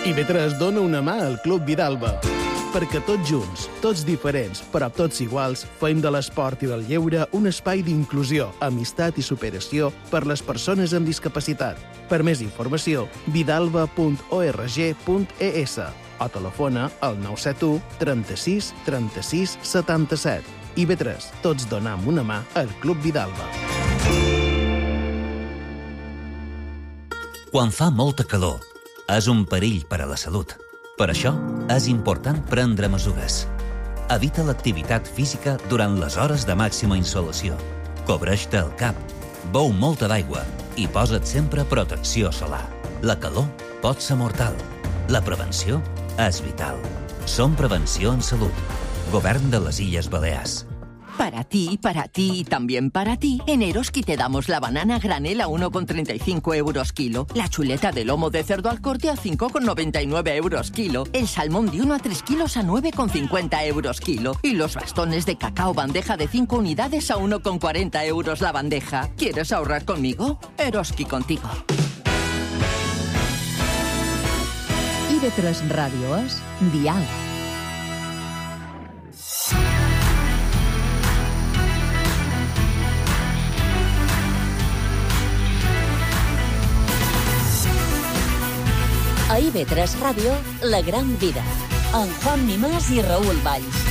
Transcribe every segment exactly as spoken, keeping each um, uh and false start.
I B tres dona una mà al Club Vidalba. Perquè tots junts, tots diferents, però tots iguals, fem de l'esport i del lleure un espai d'inclusió, amistat i superació per les persones amb discapacitat. Per més informació, vidalba punt org punt es o telefona al nou set u trenta-sis trenta-sis setanta-set. I B tres, tots donam una mà al Club Vidalba. Quan fa molta calor, és un perill per a la salut. Per això, és important prendre mesures. Evita l'activitat física durant les hores de màxima insolació. Cobreix-te el cap, beu molta d'aigua i posa't sempre protecció solar. La calor pot ser mortal. La prevenció és vital. Som Prevenció en Salut. Govern de les Illes Balears. Para ti, para ti y también para ti, en Eroski te damos la banana granel a uno con treinta y cinco euros kilo, la chuleta de lomo de cerdo al corte a cinco con noventa y nueve euros kilo, el salmón de uno a tres kilos a nueve con cincuenta euros kilo y los bastones de cacao bandeja de cinco unidades a uno con cuarenta euros la bandeja. ¿Quieres ahorrar conmigo? Eroski contigo. I B tres Ràdio és Dial. A I B tres Ràdio, La Gran Vida, amb Juan Mimàs i Raül Valls.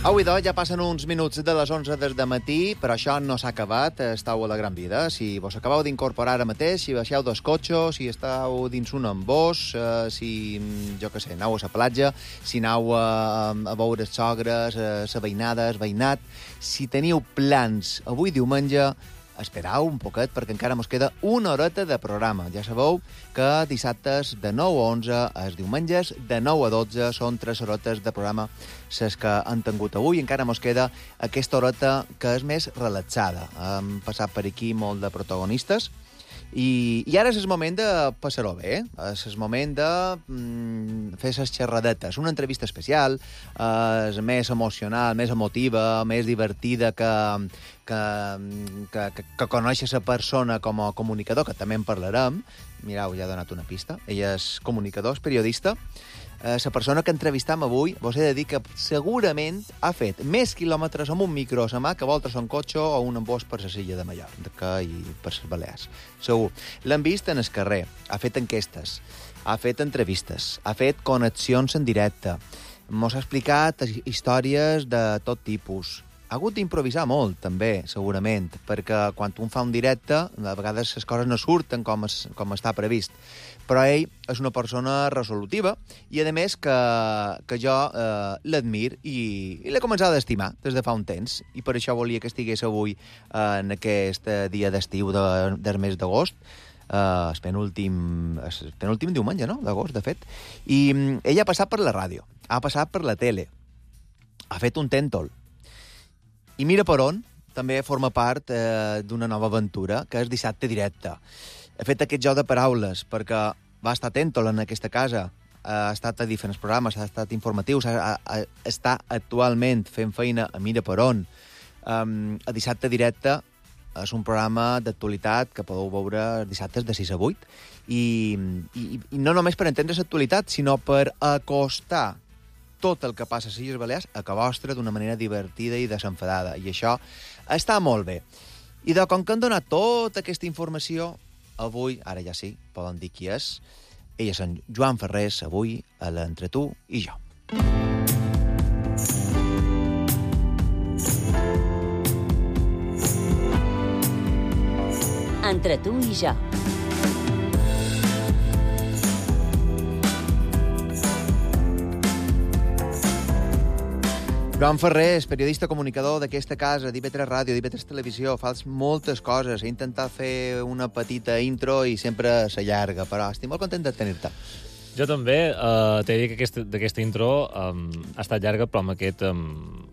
Avui, doncs, ja passen uns minuts de les onze del matí, però això no s'ha acabat. Estau a La Gran Vida. Si vos acabeu d'incorporar ara mateix, si baixeu dos cotxos, si esteu dins un amb vos, eh, si, jo què sé, aneu a la platja, si aneu a, a veure els sogres, a la veïnada, el veïnat, si teniu plans avui diumenge, esperau un poquet, perquè encara mos queda una horeta de programa. Ja sabeu que dissabtes de nou a onze, els diumenges de nou a dotze, són tres horetes de programa les que han tingut avui. Encara mos queda aquesta horeta que és més relaxada. Hem passat per aquí molt de protagonistes, I, i ara és el moment de passar-ho bé, és el moment de mm, fer les xerradetes. Una entrevista especial, és més emocional, més emotiva, més divertida que, que, que, que, que conèixer la persona com a comunicador, que també en parlarem. Mireu, ja he donat una pista. Ella és comunicador, és periodista. Eh, la persona que entrevistam avui, vos he de dir que segurament ha fet més quilòmetres amb un micro a la mà que voltes un cotxe o un embós per la silla de Mallorca i per les Balears. Segur. L'hem vist en el carrer, ha fet enquestes, ha fet entrevistes, ha fet connexions en directe, mos ha explicat històries de tot tipus. Ha hagut d'improvisar molt, també, segurament, perquè quan un fa un directe, a vegades les coses no surten com, es, com està previst. Però ell és una persona resolutiva i, a més, que, que jo eh, l'admir i, i l'he començat a estimar des de fa un temps. I per això volia que estigués avui eh, en aquest dia d'estiu de, del mes d'agost, eh, el penúltim, el penúltim diumenge, no?, d'agost, de fet. I ella ha passat per la ràdio, ha passat per la tele, ha fet un tèntol. I mira per on, també forma part eh, d'una nova aventura, que és Dissabte Directe. He fet aquest joc de paraules perquè va estar tèntol en aquesta casa, ha estat a diferents programes, ha estat informatius, ha, ha, està actualment fent feina a Mira per on. Um, a Dissabte Directe és un programa d'actualitat que podeu veure dissabtes de sis a vuit i, i, i no només per entendre l'actualitat, sinó per acostar tot el que passa a les Illes Balears a casa vostra d'una manera divertida i desenfadada. I això està molt bé. I de com que han donat tota aquesta informació, avui, ara ja sí, poden dir qui és. Ella és en Joan Ferrés, avui, a l'Entre tu i jo. Entre tu i jo. Joan Ferrés, periodista comunicador d'aquesta casa, d'I B tres Ràdio, d'I B tres Televisió, fas moltes coses. He intentat fer una petita intro i sempre s'allarga, però estic molt content de tenir-te. Jo també. Uh, T'he dit que aquesta, d'aquesta intro um, ha estat llarga, però amb aquest um,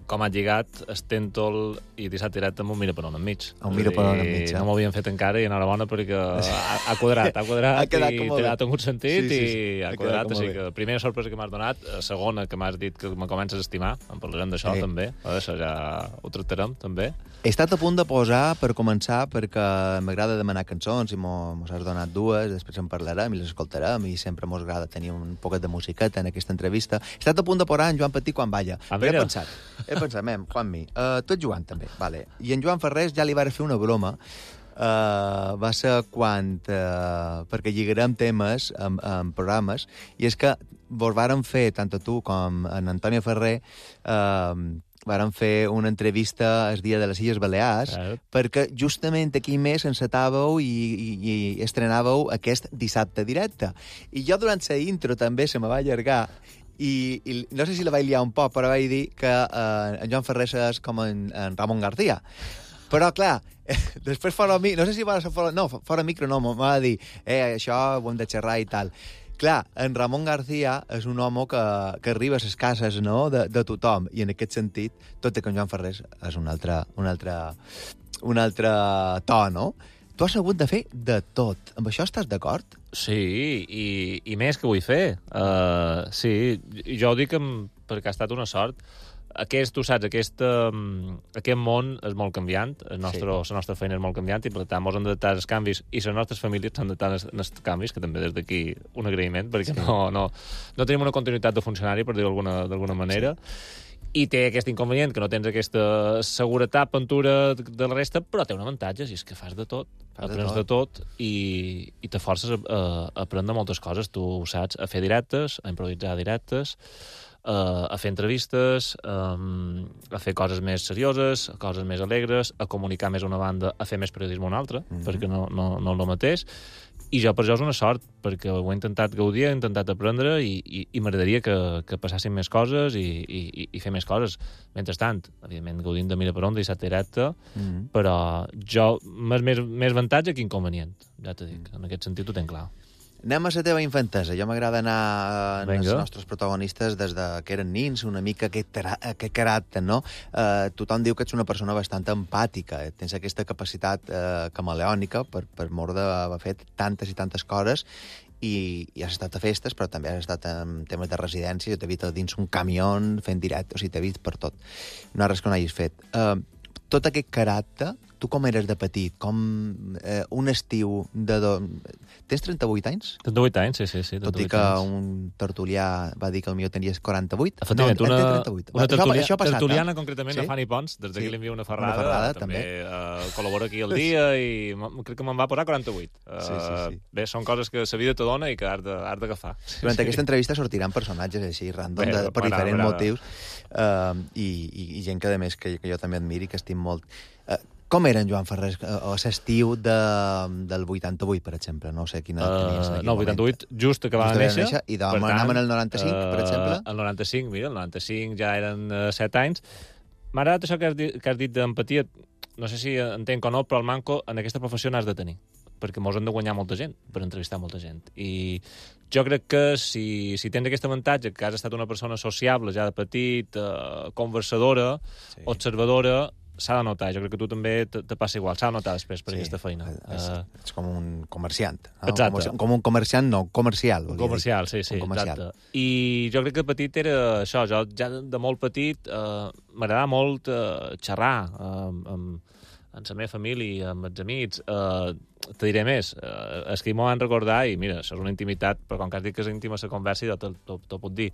com ha lligat Stentol i dissabte directe amb un mira per on enmig. Un mira per on enmig, eh? No m'ho havien fet encara i enhorabona perquè ha, ha quadrat, ha quadrat ha quedat i té ha tingut sentit sí, sí, sí. i ha, ha quadrat. Així que primera sorpresa que m'has donat, segona que m'has dit que me comences a estimar, en parlarem d'això sí. també, això ja ho tractarem també. He estat a punt de posar, per començar, perquè m'agrada demanar cançons i mos has donat dues, després en parlarem i les escoltarem i sempre mos agrada tenir un poquet de musiqueta en aquesta entrevista. He estat a punt de posar en Joan Petit quan balla, ah, però he pensat, he pensat, mem, Juanmi, uh, tot Joan també, vale. I en Joan Ferrés ja li va fer una broma, uh, va ser quan, uh, perquè lligarem temes en, en programes, i és que vos varen fer, tant a tu com en Antonio Ferrer, uh, varen fer una entrevista el dia de les Illes Balears, sí. perquè justament aquí més encetàveu i, i, i estrenàveu aquest dissabte directe. I jo durant la intro també se me va allargar i, i no sé si la vaig liar un poc, però vaig dir que eh, en Joan Ferrer és com en, en Ramon García. Però, clar, eh, després fora micro, no sé si va ser fora, no, fora micro no, m'ha de dir, eh, això ho hem de xerrar i tal. Clar, en Ramon García és un home que, que arriba a les cases, no?, de, de tothom, i en aquest sentit, tot i que en Joan Ferrer és un altre, un altre, un altre to, no? Tu has hagut de fer de tot. Amb això estàs d'acord? Sí, i, i més que vull fer. Uh, sí, jo ho dic amb, perquè ha estat una sort. Aquest, tu saps, aquest, um, aquest món és molt canviant, el nostre, sí. La nostra feina és molt canviant i per tant ens hem d'adaptar als canvis i les nostres famílies s'han d'adaptar als canvis, que també des d'aquí un agraïment, perquè sí. no, no, no tenim una continuïtat de funcionari, per dir-ho d'alguna manera, sí. i té aquest inconvenient, que no tens aquesta seguretat, pentura de la resta, però té un avantatge, i és que fas de tot, fas aprens de tot, de tot i, i te forces a, a, a aprendre moltes coses, tu ho saps, a fer directes, a improvisar directes, Uh, a fer entrevistes, um, a fer coses més serioses, coses més alegres, a comunicar més una banda, a fer més periodisme una altra, mm-hmm. perquè no, no, no és el mateix. I jo per això és una sort, perquè ho he intentat gaudir, he intentat aprendre i, i, i m'agradaria que, que passassin més coses i, i, i fer més coses. Mentrestant, evidentment, gaudint de mira per on, dissabte directe, mm-hmm. però jo, més, més, més avantatge que inconvenient, ja t'ho dic. Mm. En aquest sentit ho tenc clar. Anem a la teva infantesa. Jo m'agrada anar amb els nostres protagonistes des de que eren nins, una mica aquest, aquest caràcter, no? Eh, tothom diu que ets una persona bastant empàtica, eh? Tens aquesta capacitat eh, camaleònica per, per mort d'haver fet tantes i tantes coses i, i has estat a festes, però també has estat en temes de residència, t'he vist dins un camió fent directe, o sigui, t'he vist per tot. No hi ha res que no hagis fet. Eh, tot aquest caràcter, tu com eres de petit? Com eh, un estiu de... Do... Tens trenta-vuit anys? trenta-vuit anys, sí, sí. sí Tot i que anys. Un tertulià va dir que el millor tenies quaranta-vuit. Efectivament, no, una, trenta-vuit. una tertulia, això, això passat, tertuliana, eh? concretament, sí? A Fanny Pons, des d'aquí sí? Li envio una ferrada. Una ferrada, també. també. Uh, col·labora aquí al dia i crec que me'n va posar quaranta-vuit. Uh, sí, sí, sí. Bé, són coses que la vida te dona i que has d'agafar. Durant sí. aquesta entrevista sortiran personatges així, random, bé, de, per brava, diferents brava. motius, uh, i, i, i gent que, a més, que, que jo també admiri, que estim molt... Uh, Com era en Joan Ferrer a l'estiu de, del vuitanta-vuit, per exemple? No sé quina tenies en aquell uh, No, el vuitanta-vuit, moment. just acabava de néixer. néixer I doncs anàvem en el noranta-cinc, uh, per exemple? El noranta-cinc, mira, el noranta-cinc ja eren uh, set anys. M'ha agradat això que has dit, que has dit d'empatia. No sé si entenc o no, però el manco en aquesta professió n'has de tenir, perquè mos han de guanyar molta gent per entrevistar molta gent. I jo crec que si, si tens aquest avantatge, que has estat una persona sociable ja de petit, uh, conversadora, sí. observadora, s'ha de notar. Jo crec que tu també te, te passa igual. S'ha de notar després per sí, aquesta feina. És, uh, ets com un comerciant. No? Exacte. Com un comerciant, no, comercial. Comercial, dir. sí, sí, exacte. I jo crec que petit era això. Jo ja de molt petit uh, m'agradava molt uh, xerrar uh, amb, amb la meva família, amb els amics. Uh, te diré més. Uh, és que m'ho van recordar i mira, això és una intimitat, però com que has dit que és íntima la conversa, jo t'ho puc dir.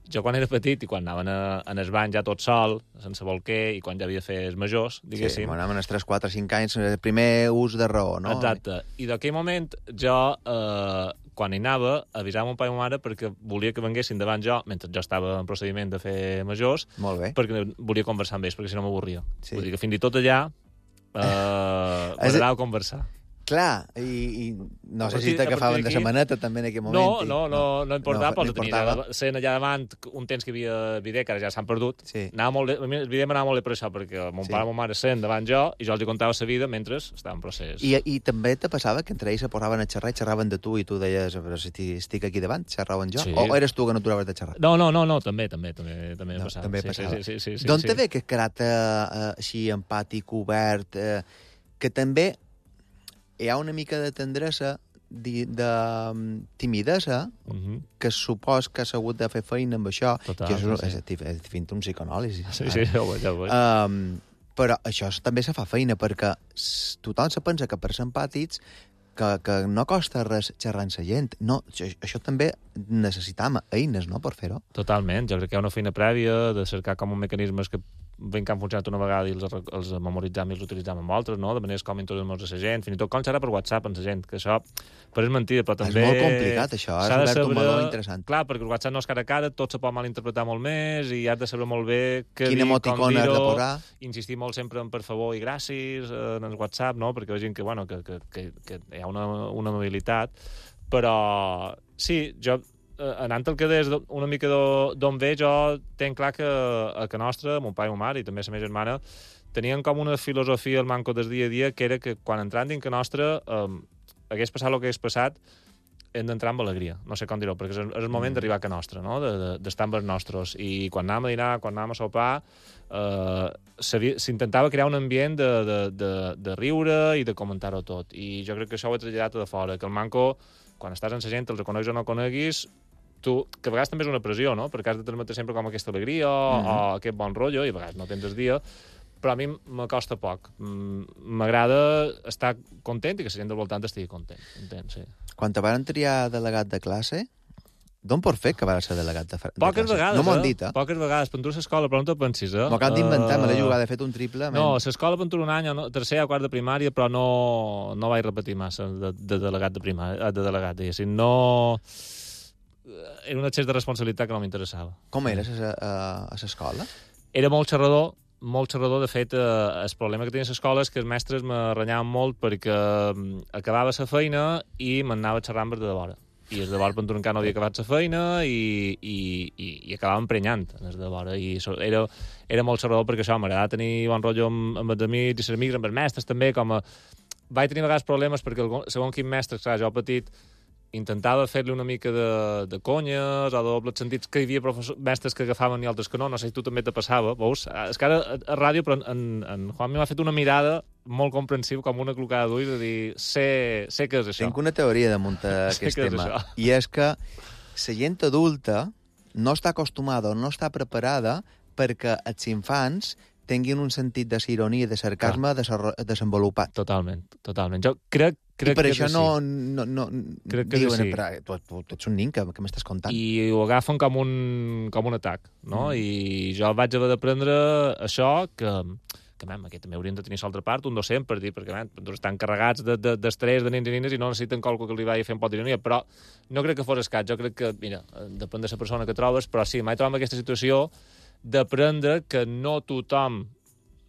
Jo quan era petit i quan anaven a, en el bany ja tot sol, sense bolquer, i quan ja havia de fer els majors, diguéssim... Sí, anaven els tres, quatre, cinc anys, el primer ús de raó, no? Exacte. I d'aquell moment jo, eh, quan hi anava, avisava mon pare i ma mare perquè volia que venguessin davant jo, mentre jo estava en procediment de fer majors, molt bé. Perquè volia conversar amb ells, perquè si no m'avorria. Sí. Vull dir que fins i tot allà eh, m'agradava conversar. Clar, i, i no sé si partir- a t'agafaven partir de d'aquí- la maneta també en aquell moment. No, i- no, no, no importava, no però tenia importava. allà, sent allà davant un temps que hi havia vídeo, que ara ja s'han perdut. Sí. Anava molt bé, a mi el vídeo m'anava molt bé per això, perquè mon Sí. pare i mon mare sent davant jo i jo els hi contava la vida mentre estava en procés. I, I també te passava que entre ells se posaven a xerrar i xerraven de tu i tu deies, però si estic aquí davant, xerraven jo? Sí. O eres tu que no t'acabaves de xerrar? No, no, no, no, també, també, també, també No, passava. també sí, passava. Sí, sí, sí, sí, D'on sí. te ve aquest caràcter eh, així empàtic, obert, eh, que també hi ha una mica de tendresa, de, de um, timidesa, Mhm. que supos que has hagut de fer feina amb això, Total, que és, sí. és, és, és fent un psicoanàlisi. Sí, sí, ja ho veig, ja ho veig. Um, però això també se fa feina, perquè s- tothom se pensa que per ser empàtics que, que no costa res xerrar amb la gent. No, això, això també necessitam eines, no?, per fer-ho. Totalment, jo crec que hi ha una feina prèvia de cercar com un mecanismes que ben que han funcionat una vegada i els, els memoritzam i els utilitzam amb altres, no? De maneres com introduir-nos a la gent, fins i tot com xerrar per WhatsApp amb la gent, que això però és mentida, però també... És molt complicat, això, has s'ha de obert un saber- meló interessant. Clar, perquè el WhatsApp no és cara a cara, tot se pot malinterpretar molt més i has de saber molt bé què Quina dir, com emoticona has de dir-ho, posar. insistir molt sempre en per favor i gràcies eh, en el WhatsApp, no? Perquè vegin que, bueno, que, que, que, que hi ha una, una amabilitat, però sí, jo eh, anant al que deies d'o- una mica d'o- d'on ve, jo tenc clar que a que nostra, mon pare i mon mare, i també la meva germana, tenien com una filosofia al manco del dia a dia, que era que quan entrant dins que nostra eh, hagués passat el que hagués passat, hem d'entrar amb alegria, no sé com dir-ho, perquè és, és el moment d'arribar a que nostra, no? De- de- d'estar amb els nostres. I quan anàvem a dinar, quan anàvem a sopar, eh, s'havia- s'intentava crear un ambient de, de, de, de riure i de comentar-ho tot. I jo crec que això ho he traslladat a de fora, que el manco, quan estàs amb la gent, els coneguis o no coneguis, tu, que a vegades també és una pressió, no? Perquè has de transmetre sempre com aquesta alegria o, Mhm. o aquest bon rotllo, i a vegades no tens el dia, però a mi m'acosta poc. Mm, M'agrada estar content i que la gent del voltant estigui content. Entens? Sí. Quan te van triar delegat de classe, d'on por fer que vas ser delegat de, de Poques classe? vegades, No m'ho han eh? dit, eh? Poques vegades. Per tu a l'escola, però no te pensis, eh? M'ho acabo d'inventar, me l'he Eh, jugat, he fet un triple. No, men. a l'escola per tu un any, no, tercer o quart de primària, però no, no vaig repetir massa de, de delegat de primària, de delegat, diguéssim. No... Era un excés de responsabilitat que no m'interessava. Com eres a, a, a l'escola? Era molt xerrador, molt xerrador. De fet, eh, el problema que tenia a l'escola és que els mestres me renyaven molt perquè mm, acabava la feina i m'anava xerrant per de vora. I els de vora, per tu encara no havia acabat la feina i, i, i, i acabava emprenyant els de vora. I so, era, era molt xerrador perquè això, m'agradava tenir bon rotllo amb, amb els amics i els amics, amb els mestres també, com a... Vaig tenir a vegades problemes perquè el, segons quin mestre, clar, jo petit, intentava fer-li una mica de, de conyes o de dobles sentits, que hi havia professors, mestres que agafaven i altres que no, no sé si tu també te passava, veus? És que ara a, a ràdio, però en, en Juan m'ha fet una mirada molt comprensiva, com una clocada d'ulls, de dir, sé, sé què és això. Tinc una teoria damunt Sé aquest què és tema, això. i és que la gent adulta no està acostumada o no està preparada perquè els infants tinguin un sentit de ironia i de sarcasme desarro- desenvolupat. Totalment, totalment. Jo crec, crec I per que això és no, així. no, no Crec que és diuen, així. però tu, tu, tu ets un nin, que, que m'estàs contant? I ho agafen com un, com un atac, no? Mm. I jo vaig haver d'aprendre això, que, que mem, aquí també haurien de tenir l'altra part, un docent, per dir, perquè mem, estan carregats d'estrès de, de, de nens i nines i no necessiten qualque que li vagi a fer un pot d'ironia, però no crec que fos escat, jo crec que, mira, depèn de la persona que trobes, però sí, mai trobo aquesta situació d'aprendre que no tothom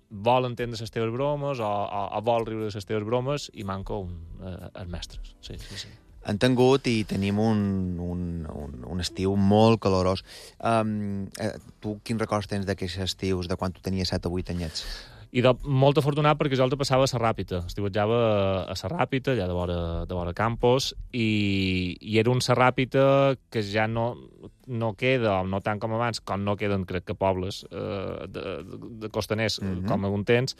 vol entendre les teves bromes o, o, o vol riure de les teves bromes i manca un, eh, els mestres. Sí, sí, sí. Han tingut i tenim un, un, un, un estiu molt calorós. Um, eh, tu quins records tens d'aquests estius, de quan tu tenies set o vuit anyets? I de, molt afortunat perquè jo el passava a la Ràpita. Estiuetjava a la Ràpita, allà de vora, de vora Campos, i, i era un Ràpita que ja no, no queda, no tant com abans, com no queden, crec que pobles eh, de, de costaners, mm -hmm. com algun temps,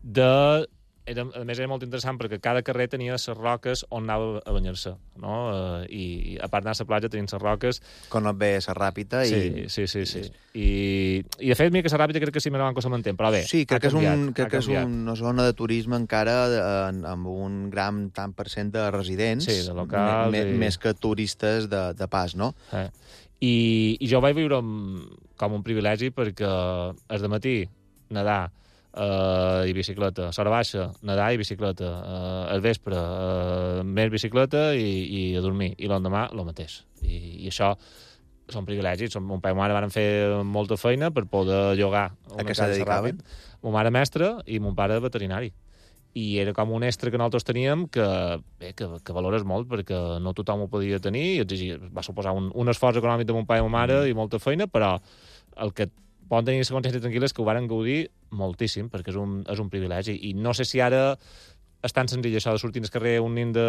de... Era, a més, era molt interessant perquè cada carrer tenia les roques on anava a banyar-se, no? Uh, i, I a part d'anar a la platja tenien les roques... Quan et ve la ràpida i... Sí, sí, sí. sí. I, I de fet, mira que la ràpida crec que sí me la van cosa mantent, però bé, Sí, crec ha que és, canviat, un, crec ha que és canviat. una zona de turisme encara de, amb un gran tant per cent de residents, Sí, de locals me, i- més que turistes de, de pas, no? Eh. I, I jo ho vaig viure amb, com un privilegi perquè és de matí nedar uh, i bicicleta, a l'hora baixa, nedar i bicicleta, uh, al vespre uh, més bicicleta i, i a dormir, i l'endemà el mateix. I, I això són privilegis. Som, mon pare i ma mare van fer molta feina per poder llogar A una què se casa dedicaven? ràpid. Mon mare mestra i mon pare veterinari. i era com un extra que nosaltres teníem que, bé, que, que valores molt, perquè no tothom ho podia tenir, i exigia, va suposar un, un esforç econòmic de mon pare i ma mare, mm. i molta feina, però el que poden tenir la consciència tranquil·la és que ho varen gaudir moltíssim, perquè és un, és un privilegi, i no sé si ara és tan senzill això de sortir al carrer un nin de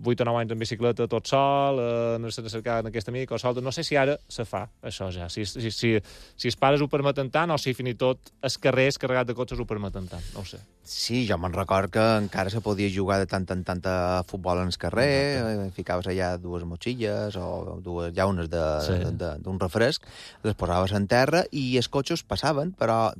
vuit o nou anys en bicicleta tot sol, eh, no sé de cercar en aquest amic o sol, no sé si ara se fa això ja, si, si, si, si els pares ho permeten tant o si fins i tot els carrers carregats de cotxes ho permeten tant, no ho sé. Sí, jo me'n record que encara se podia jugar de tant en tant a futbol en el carrer, eh, ficaves allà dues motxilles o dues llaunes d'un sí. de, de, refresc, les posaves en terra i els cotxes passaven, però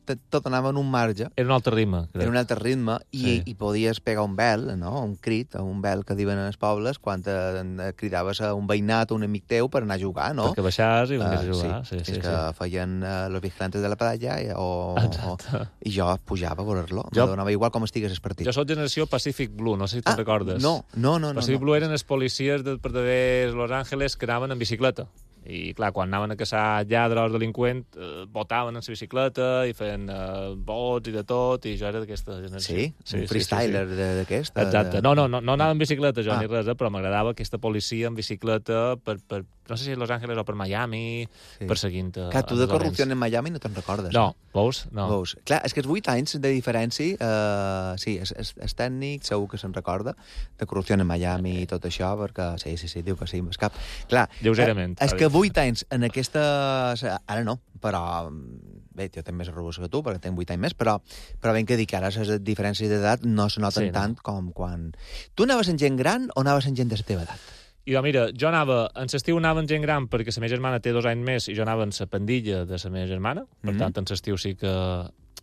tot anava en un marge. Era un altre ritme. Crec. Era un altre ritme, i, sí. i podies pegar un bel, no? Un crit, un bel que diuen en els pobles, quan te, te cridaves a un veïnat o un amic teu per anar a jugar, no? Perquè baixaves i venies uh, a jugar. Sí, sí, sí, sí, que sí. feien uh, los vigilantes de la playa, o, o, i jo pujava a veure-lo. Jo... Me donava igual com estigués el partit. Jo soc generació Pacific Blue, no sé si te'n ah, recordes. No, no, no. Pacific no, Blue no. eren els policies de, per de Los Angeles que anaven en bicicleta. I, clar, quan anaven a caçar lladres o delinqüents, eh, botaven en la bicicleta i feien eh, bots i de tot, i jo era d'aquesta generació. Sí? sí un freestyler sí, sí, sí. d'aquest? Exacte. No, no, no, no anava en bicicleta, jo, ah. ni res, eh, però m'agradava aquesta policia en bicicleta per, per, no sé si a Los Angeles o per Miami, sí. perseguint... Clar, tu de corrupció en Miami no te'n recordes. No, eh? veus? No. Veus. Clar, és que els vuit anys de diferència, eh, sí, és, és, és tècnic, segur que se'n recorda, de corrupció en Miami i tot això, perquè sí, sí, sí, diu que sí, m'escap. Clar, lleugerament. Eh, és que vuit anys en aquesta... Ara no, però... Bé, jo tinc més revolució que tu, perquè tinc vuit anys més, però, però ben que dic que ara les diferències d'edat no se noten sí, no. tant com quan... Tu anaves en gent gran o anaves en gent de la teva edat? I jo, mira, jo anava... En l'estiu anava en gent gran perquè la meva germana té dos anys més i jo anava en la pandilla de la meva germana. Per mm-hmm. tant, en l'estiu sí que...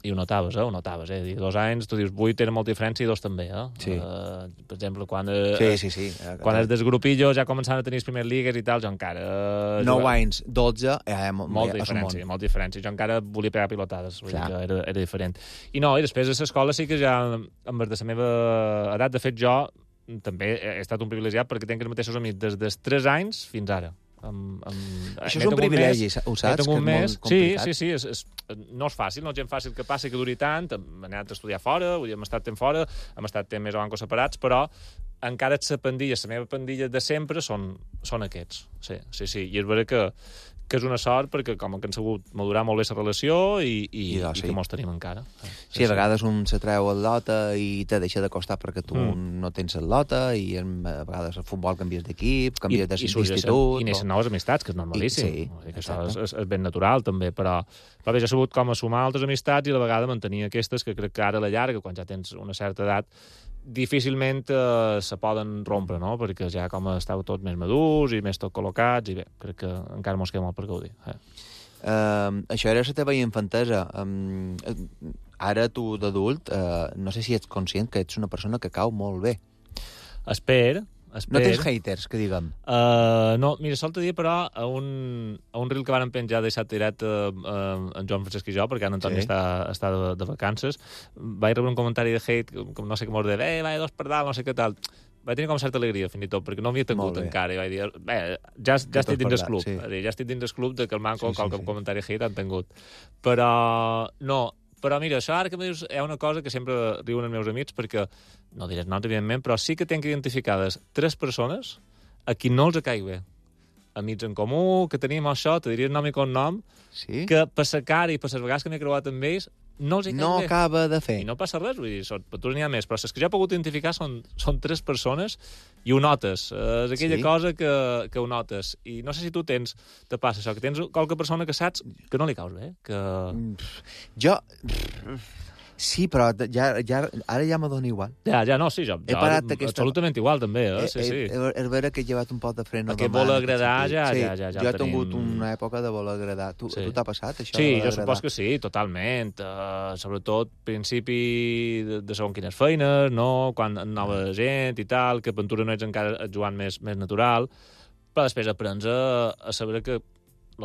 I ho notaves, eh? Ho notaves, eh? Dos anys, tu dius, vuit era molta diferència i dos també, eh? Sí. Uh, per exemple, quan... Uh, sí, sí, sí. Quan els desgrupillos ja començaven a tenir les primeres ligues i tal, jo encara... Uh, nou anys, dotze... Eh, molta diferència, molta diferència. Jo encara volia pegar pilotades, vull dir que era, era diferent. I no, i després a l'escola sí que ja, amb de la meva edat, de fet, jo també he estat un privilegiat perquè tenc els mateixos amics des dels tres anys fins ara. Amb, amb... Això és un privilegi, mes, ho saps? Que és mes. molt complicat. Sí, sí, sí. És, és, no és fàcil, no és gent fàcil que passi, que duri tant. Hem anat a estudiar fora, vull dir, hem estat temps fora, hem estat temps més o menys separats, però encara la pandilla, la meva pandilla de sempre són, són aquests. Sí, sí, sí. I és vera que, que és una sort perquè com que han sabut madurar molt bé la relació i, i, I, doncs, i sí. que mos tenim encara. Sí, sí, a vegades un se treu el lota i te deixa de costar perquè tu mm. no tens el lota i a vegades el futbol canvies d'equip, canvies d'institut... I neixen noves amistats, que és normalíssim. I, sí, dir que això és, és, és ben natural, també, però, però bé, ja he sabut com a sumar altres amistats i a la vegada mantenir aquestes que crec que ara a la llarga, quan ja tens una certa edat, difícilment eh, se poden rompre, no? Perquè ja com estàu tots més madurs i més tot col·locats i bé, crec que encara mos queda molt per gaudir. Eh? Uh, això era la teva infantesa. Um, ara tu d'adult, uh, no sé si ets conscient que ets una persona que cau molt bé. Espero. Esper. No tens haters, que diguem? Uh, no, mira, sol te dir, però, a un, a un reel que van penjar deixat tirat uh, uh, en Joan Francesc i jo, perquè en Antoni sí. està, està de, de vacances, vaig rebre un comentari de hate, com no sé què mos de, eh, vaig dos per dalt, no sé què tal. Vaig tenir com certa alegria, fins i tot, perquè no havia tingut encara, i vaig dir, bé, ja, ja estic dins del club, sí. dir, ja estic dins del club de que el manco sí, sí, qualque sí. comentari hate han tingut. Però, no, però mira, això ara que me dius, hi ha una cosa que sempre diuen els meus amics, perquè, no diré noms, evidentment, però sí que tenc identificades tres persones a qui no els caig bé. Amics en comú, que tenim això, te diria el nom i cognom, sí? que per sa cara i per les vegades que m'he creuat amb ells, no els hi caig no bé. No acaba de fer. I no passa res, vull dir, són, per tu n'hi ha més, però les que jo he pogut identificar són, són tres persones i ho notes. És aquella sí? cosa que, que ho notes. I no sé si tu tens, te passa això, que tens qualque persona que saps que no li caus bé. Que... Jo... Sí, però ja, ja, ara ja m'adona igual. Ja, ja, no, sí, jo, jo aquesta... absolutament igual, també, eh? Sí, sí. És vera que he llevat un pot de freno. Aquest vol agradar, ja, sí, ja, ja, ja jo he tenim... tingut una època de vol agradar. Tu, sí. tu t'ha passat, això? Sí, jo supos que sí, totalment. Uh, sobretot, principi de, de segon quines feines, no? Quan nova gent i tal, que aventura no ets encara jugant més, més natural, però després aprens a, a saber que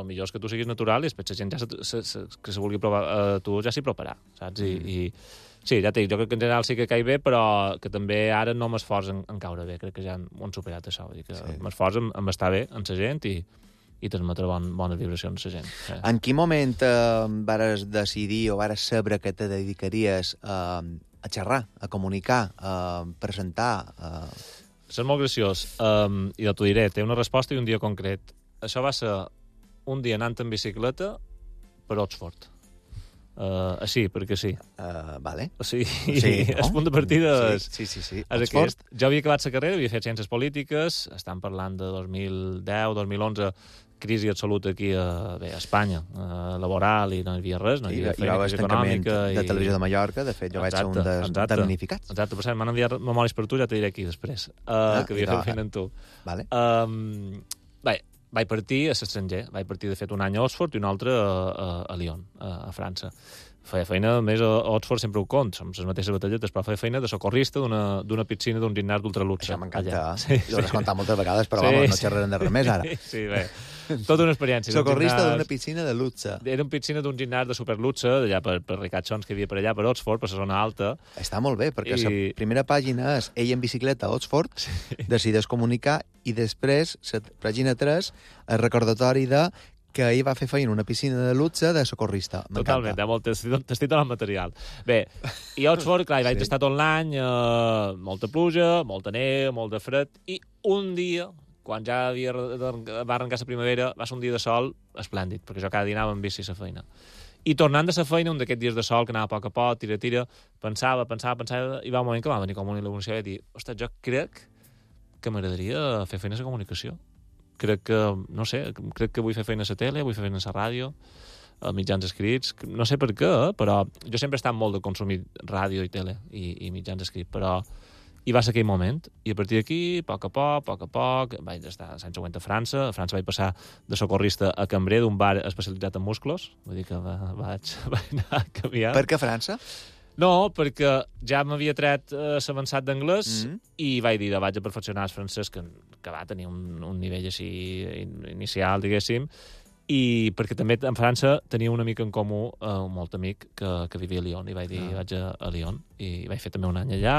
el millor és que tu siguis natural i després la gent ja se, se, se, que se vulgui provar a tu ja s'hi provarà, saps? I, mm. i sí, ja t'he dit, jo crec que en general sí que caig bé, però que també ara no m'esforç en, en caure bé, crec que ja ho han superat això, vull dir que sí. m'esforç en, en estar bé amb la gent i, i transmetre bon, bones vibracions a la gent. Sí. En quin moment eh, vares decidir o vares saber que te dedicaries eh, a xerrar, a comunicar, a presentar... A... És molt graciós. Um, I t'ho diré, té una resposta i un dia concret. Això va ser un dia anant en bicicleta per Oxford. Uh, així, perquè sí. Uh, vale. O sigui, sí, no? El punt de partida és, sí, sí, sí, sí. és aquest. Jo havia acabat la carrera, havia fet ciències polítiques, estan parlant de dos mil deu, dos mil onze, crisi absoluta aquí a, bé, a Espanya, a laboral, i no hi havia res, no hi havia I, feina, i crisi econòmica... de i... Televisió de Mallorca, de fet, jo exacte, vaig ser un dels exacte, damnificats. Exacte, per cert, m'han enviat memòries per tu, ja t'ho diré aquí després, uh, ah, que havia fet feina amb tu. Vale. Um, bé, vaig partir a l'estranger, vaig partir, de fet, un any a Oxford i un altre a, a, a Lyon, a, a França. Feia feina, a més, a Oxford sempre ho compto, som les mateixes batalletes, però feia feina de socorrista d'una piscina d'un gimnàs d'ultraluxe. Això m'encanta. Sí, jo l'he contat moltes vegades, però sí, vamos, no xerrarem de res més ara. Sí, bé. Tota una experiència. Socorrista d'una piscina de luxe. Era una piscina d'un gimnàs de superluxe, d'allà per, per ricachons que hi havia per allà, per Oxford, per la zona alta. Està molt bé, perquè la I... primera pàgina és ell en bicicleta a Oxford, sí. Decideix comunicar, i després, la pàgina tres, el recordatori de que ell va fer feina en una piscina de luxe de socorrista. Totalment, eh? T'estic donant material. Bé, i a Oxford, clar, hi vaig sí. estar tot l'any, eh, molta pluja, molta neu, molt de fred, i un dia, quan ja havia, va arrencar la primavera, va ser un dia de sol esplèndid, perquè jo cada dia anava amb bici a la feina. I tornant de la feina, un d'aquests dies de sol, que anava a poc a poc, tira, tira, pensava, pensava, pensava, i va un moment que va venir com una il·luminació i dir, ostres, jo crec que m'agradaria fer feina a la comunicació. Crec que, no sé, crec que vull fer feina a la tele, vull fer feina a la ràdio, a mitjans escrits, no sé per què, però jo sempre he estat molt de consumir ràdio i tele i, i mitjans escrits, però hi va ser aquell moment, i a partir d'aquí, a poc a poc, a poc a poc, vaig estar l'any següent a França, a França vaig passar de socorrista a cambrer d'un bar especialitzat en musclos, vull dir que va, vaig, vaig anar a canviar. Per què França? No, perquè ja m'havia tret eh, l'avançat d'anglès mm. i vaig dir, vaig a perfeccionar el francès, que, que va tenir un, un nivell així inicial, diguéssim, i perquè també en França tenia un amic en comú, eh, un molt amic, que, que vivia a Lyon, i vaig dir, ah. vaig a, a Lyon, i vaig fer també un any allà,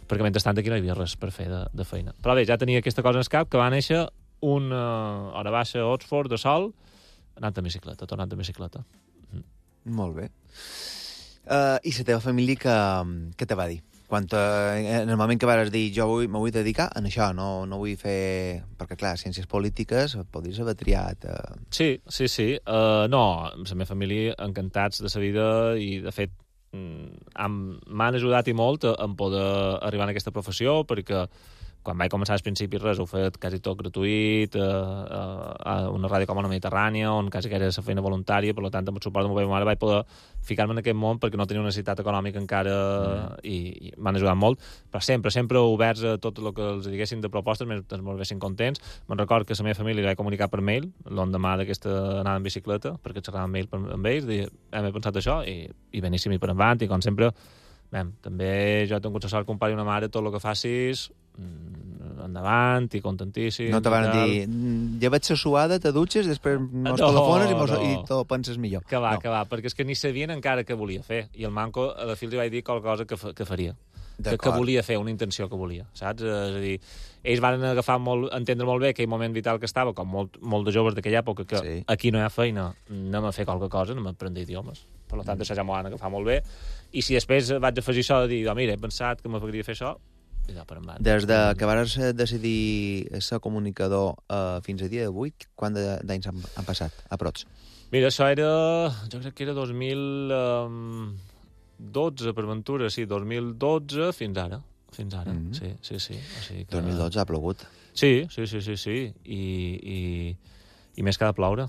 perquè mentrestant aquí no hi havia res per fer de, de feina. Però bé, ja tenia aquesta cosa en el cap, que va néixer una hora baixa a Oxford de sol, anant en bicicleta, tornant en bicicleta. Mm. Molt bé. Uh, I la teva família què, què te va dir? Quan te, en el moment que vas dir jo vull, me vull dedicar a això, no, no vull fer... Perquè, clar, ciències polítiques podries haver triat... Uh... Sí, sí, sí. Uh, no, la meva família encantats de la vida i, de fet, m'han ajudat i molt en poder arribar a aquesta professió, perquè quan vaig començar als principis res, ho he fet quasi tot gratuït, a, a, a una ràdio com a la Mediterrània, on quasi que era la feina voluntària, per tant, amb el suport de meva mare vaig poder ficar-me en aquest món perquè no tenia una necessitat econòmica encara mm. i, i m'han ajudat molt, però sempre, sempre oberts a tot el que els diguessin de propostes, mentre es volguessin contents. Me'n record que la meva família li vaig comunicar per mail, l'endemà d'aquesta anada en bicicleta, perquè xerrava amb mail per, amb ells, dir, hem pensat això, i, i beníssim i per endavant, i com sempre, ben, també jo he tingut la sort que un pare i una mare, tot el que facis, endavant i contentíssim. No te van dir, lleva't la suada, te dutxes, després mos no, telefones i, mos, no. i te penses millor. Que va, no. que va, perquè és que ni sabien encara què volia fer. I el manco, a la fi li vaig dir qualque cosa que, que faria. Que, que volia fer, una intenció que volia, saps? És a dir, ells van agafar molt, entendre molt bé aquell moment vital que estava, com molt, molt de joves d'aquella època, que sí. Aquí no hi ha feina, anem a fer qualque cosa, anem a aprendre idiomes. Per tant, això ja m'ho van agafar molt bé. I si després vaig afegir això de dir, oh, mira, he pensat que m'agradaria fer això, des de que vas decidir ser comunicador uh, fins a dia d'avui, quant d'anys han, han passat, a prots? Mira, això era... Jo crec que era dos mil dotze, per ventura, sí, dos mil dotze fins ara. Fins ara, mm-hmm. sí, sí, sí. O sigui que... dos mil dotze ha plogut. Sí, sí, sí, sí, sí. I, i, i més que ha de ploure,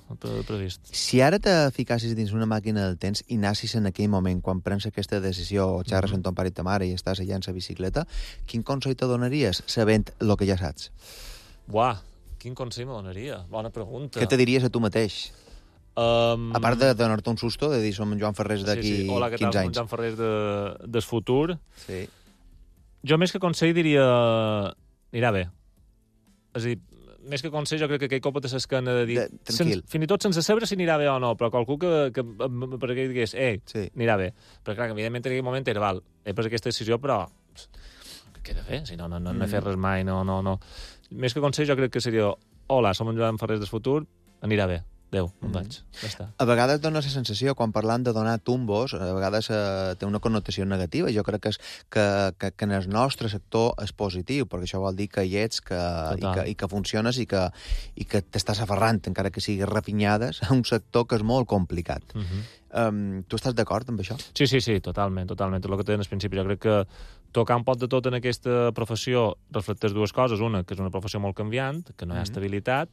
previst. Si ara te ficassis dins una màquina del temps i nassis en aquell moment, quan prens aquesta decisió, o xerres mm-hmm. amb ton pare i ta mare i estàs allà en la bicicleta, quin consell te donaries sabent el que ja saps? Buah, quin consell me donaria? Bona pregunta. Què te diries a tu mateix? Um... A part de donar-te un susto, de dir som en Joan Ferrés d'aquí sí, sí. Hola, què quinze tal? anys. Som Joan Ferrés de, del futur. Sí. Jo més que consell diria... Anirà bé. És a dir, més que consell, jo crec que aquell cop te s'escana de dir... De, tranquil. Sen, fins i tot sense saber si anirà bé o no, però qualcú que, que per aquell digués, ei, sí. anirà bé. Però clar, evidentment en aquell moment era, val, he pres aquesta decisió, però què he de fer? Si no, no, no, no he fet res mai, no, no, no. Més que consell, jo crec que seria, hola, som en Joan Ferrés del futur, anirà bé. Adéu, me'n vaig. Ja està. A vegades dona la sensació, quan parlant de donar tumbos, a vegades eh, té una connotació negativa. Jo crec que, és, que, que, que en el nostre sector és positiu, perquè això vol dir que hi ets que, i, que, i que funciones i que, i que t'estàs aferrant, encara que siguis refinyades, a un sector que és molt complicat. Uh -huh. um, tu estàs d'acord amb això? Sí, sí, sí, totalment, totalment. Tot el que té en el principi. Jo crec que tocar un pot de tot en aquesta professió reflecteix dues coses. Una, que és una professió molt canviant, que no hi ha uh -huh. estabilitat,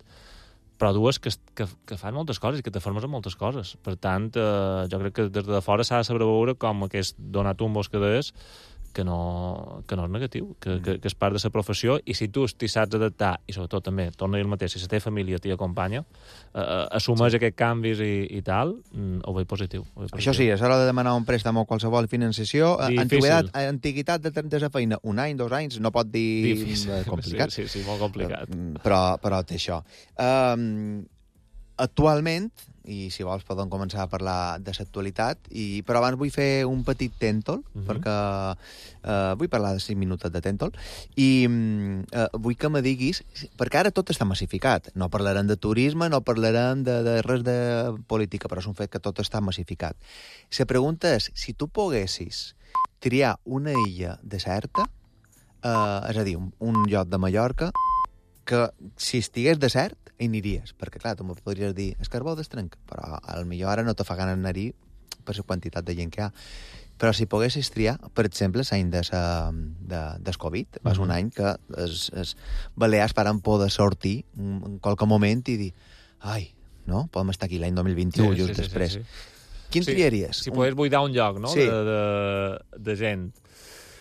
però dues, que, que, que fan moltes coses i que te formes en moltes coses. Per tant, eh, jo crec que des de fora s'ha de saber veure com aquest donar tumbos que deies, que no, que no és negatiu, que, que, que és part de la professió, i si tu t'hi saps adaptar, i sobretot també, torna a dir el mateix, si la teva família t'hi acompanya, eh, assumeix sí. aquests canvis i, i tal, ho veig positiu. Ho veig positiu. Això sí, a l'hora de demanar un préstec o qualsevol financiació, antiguitat, antiguitat de, de la feina, un any, dos anys, no pot dir difícil. Complicat. Sí, sí, sí, molt complicat. Però, però té això. Um, actualment, i si vols podem començar a parlar de l'actualitat, però abans vull fer un petit tèntol, uh -huh. perquè uh, vull parlar de cinc minuts de tèntol, i uh, vull que me diguis, perquè ara tot està massificat, no parlarem de turisme, no parlarem de, de res de política, però és un fet que tot està massificat. La pregunta és, si tu poguessis triar una illa deserta, uh, és a dir, un, un lloc de Mallorca, que si estigués desert, hi aniries, perquè clar, tu me podries dir és Carbó d'Estrenc, però al millor ara no te fa gana anar-hi per la quantitat de gent que hi ha. Però si poguessis triar, per exemple, l'any de de, del Covid, va ser un any que els, els balears faran por de sortir en qualque moment i dir, ai, no? Podem estar aquí l'any dos mil vint-i-u, sí, just sí, després. Sí, sí, sí. Quin sí, triaries? Si un... pogués buidar un lloc, no?, sí. de, de, de gent.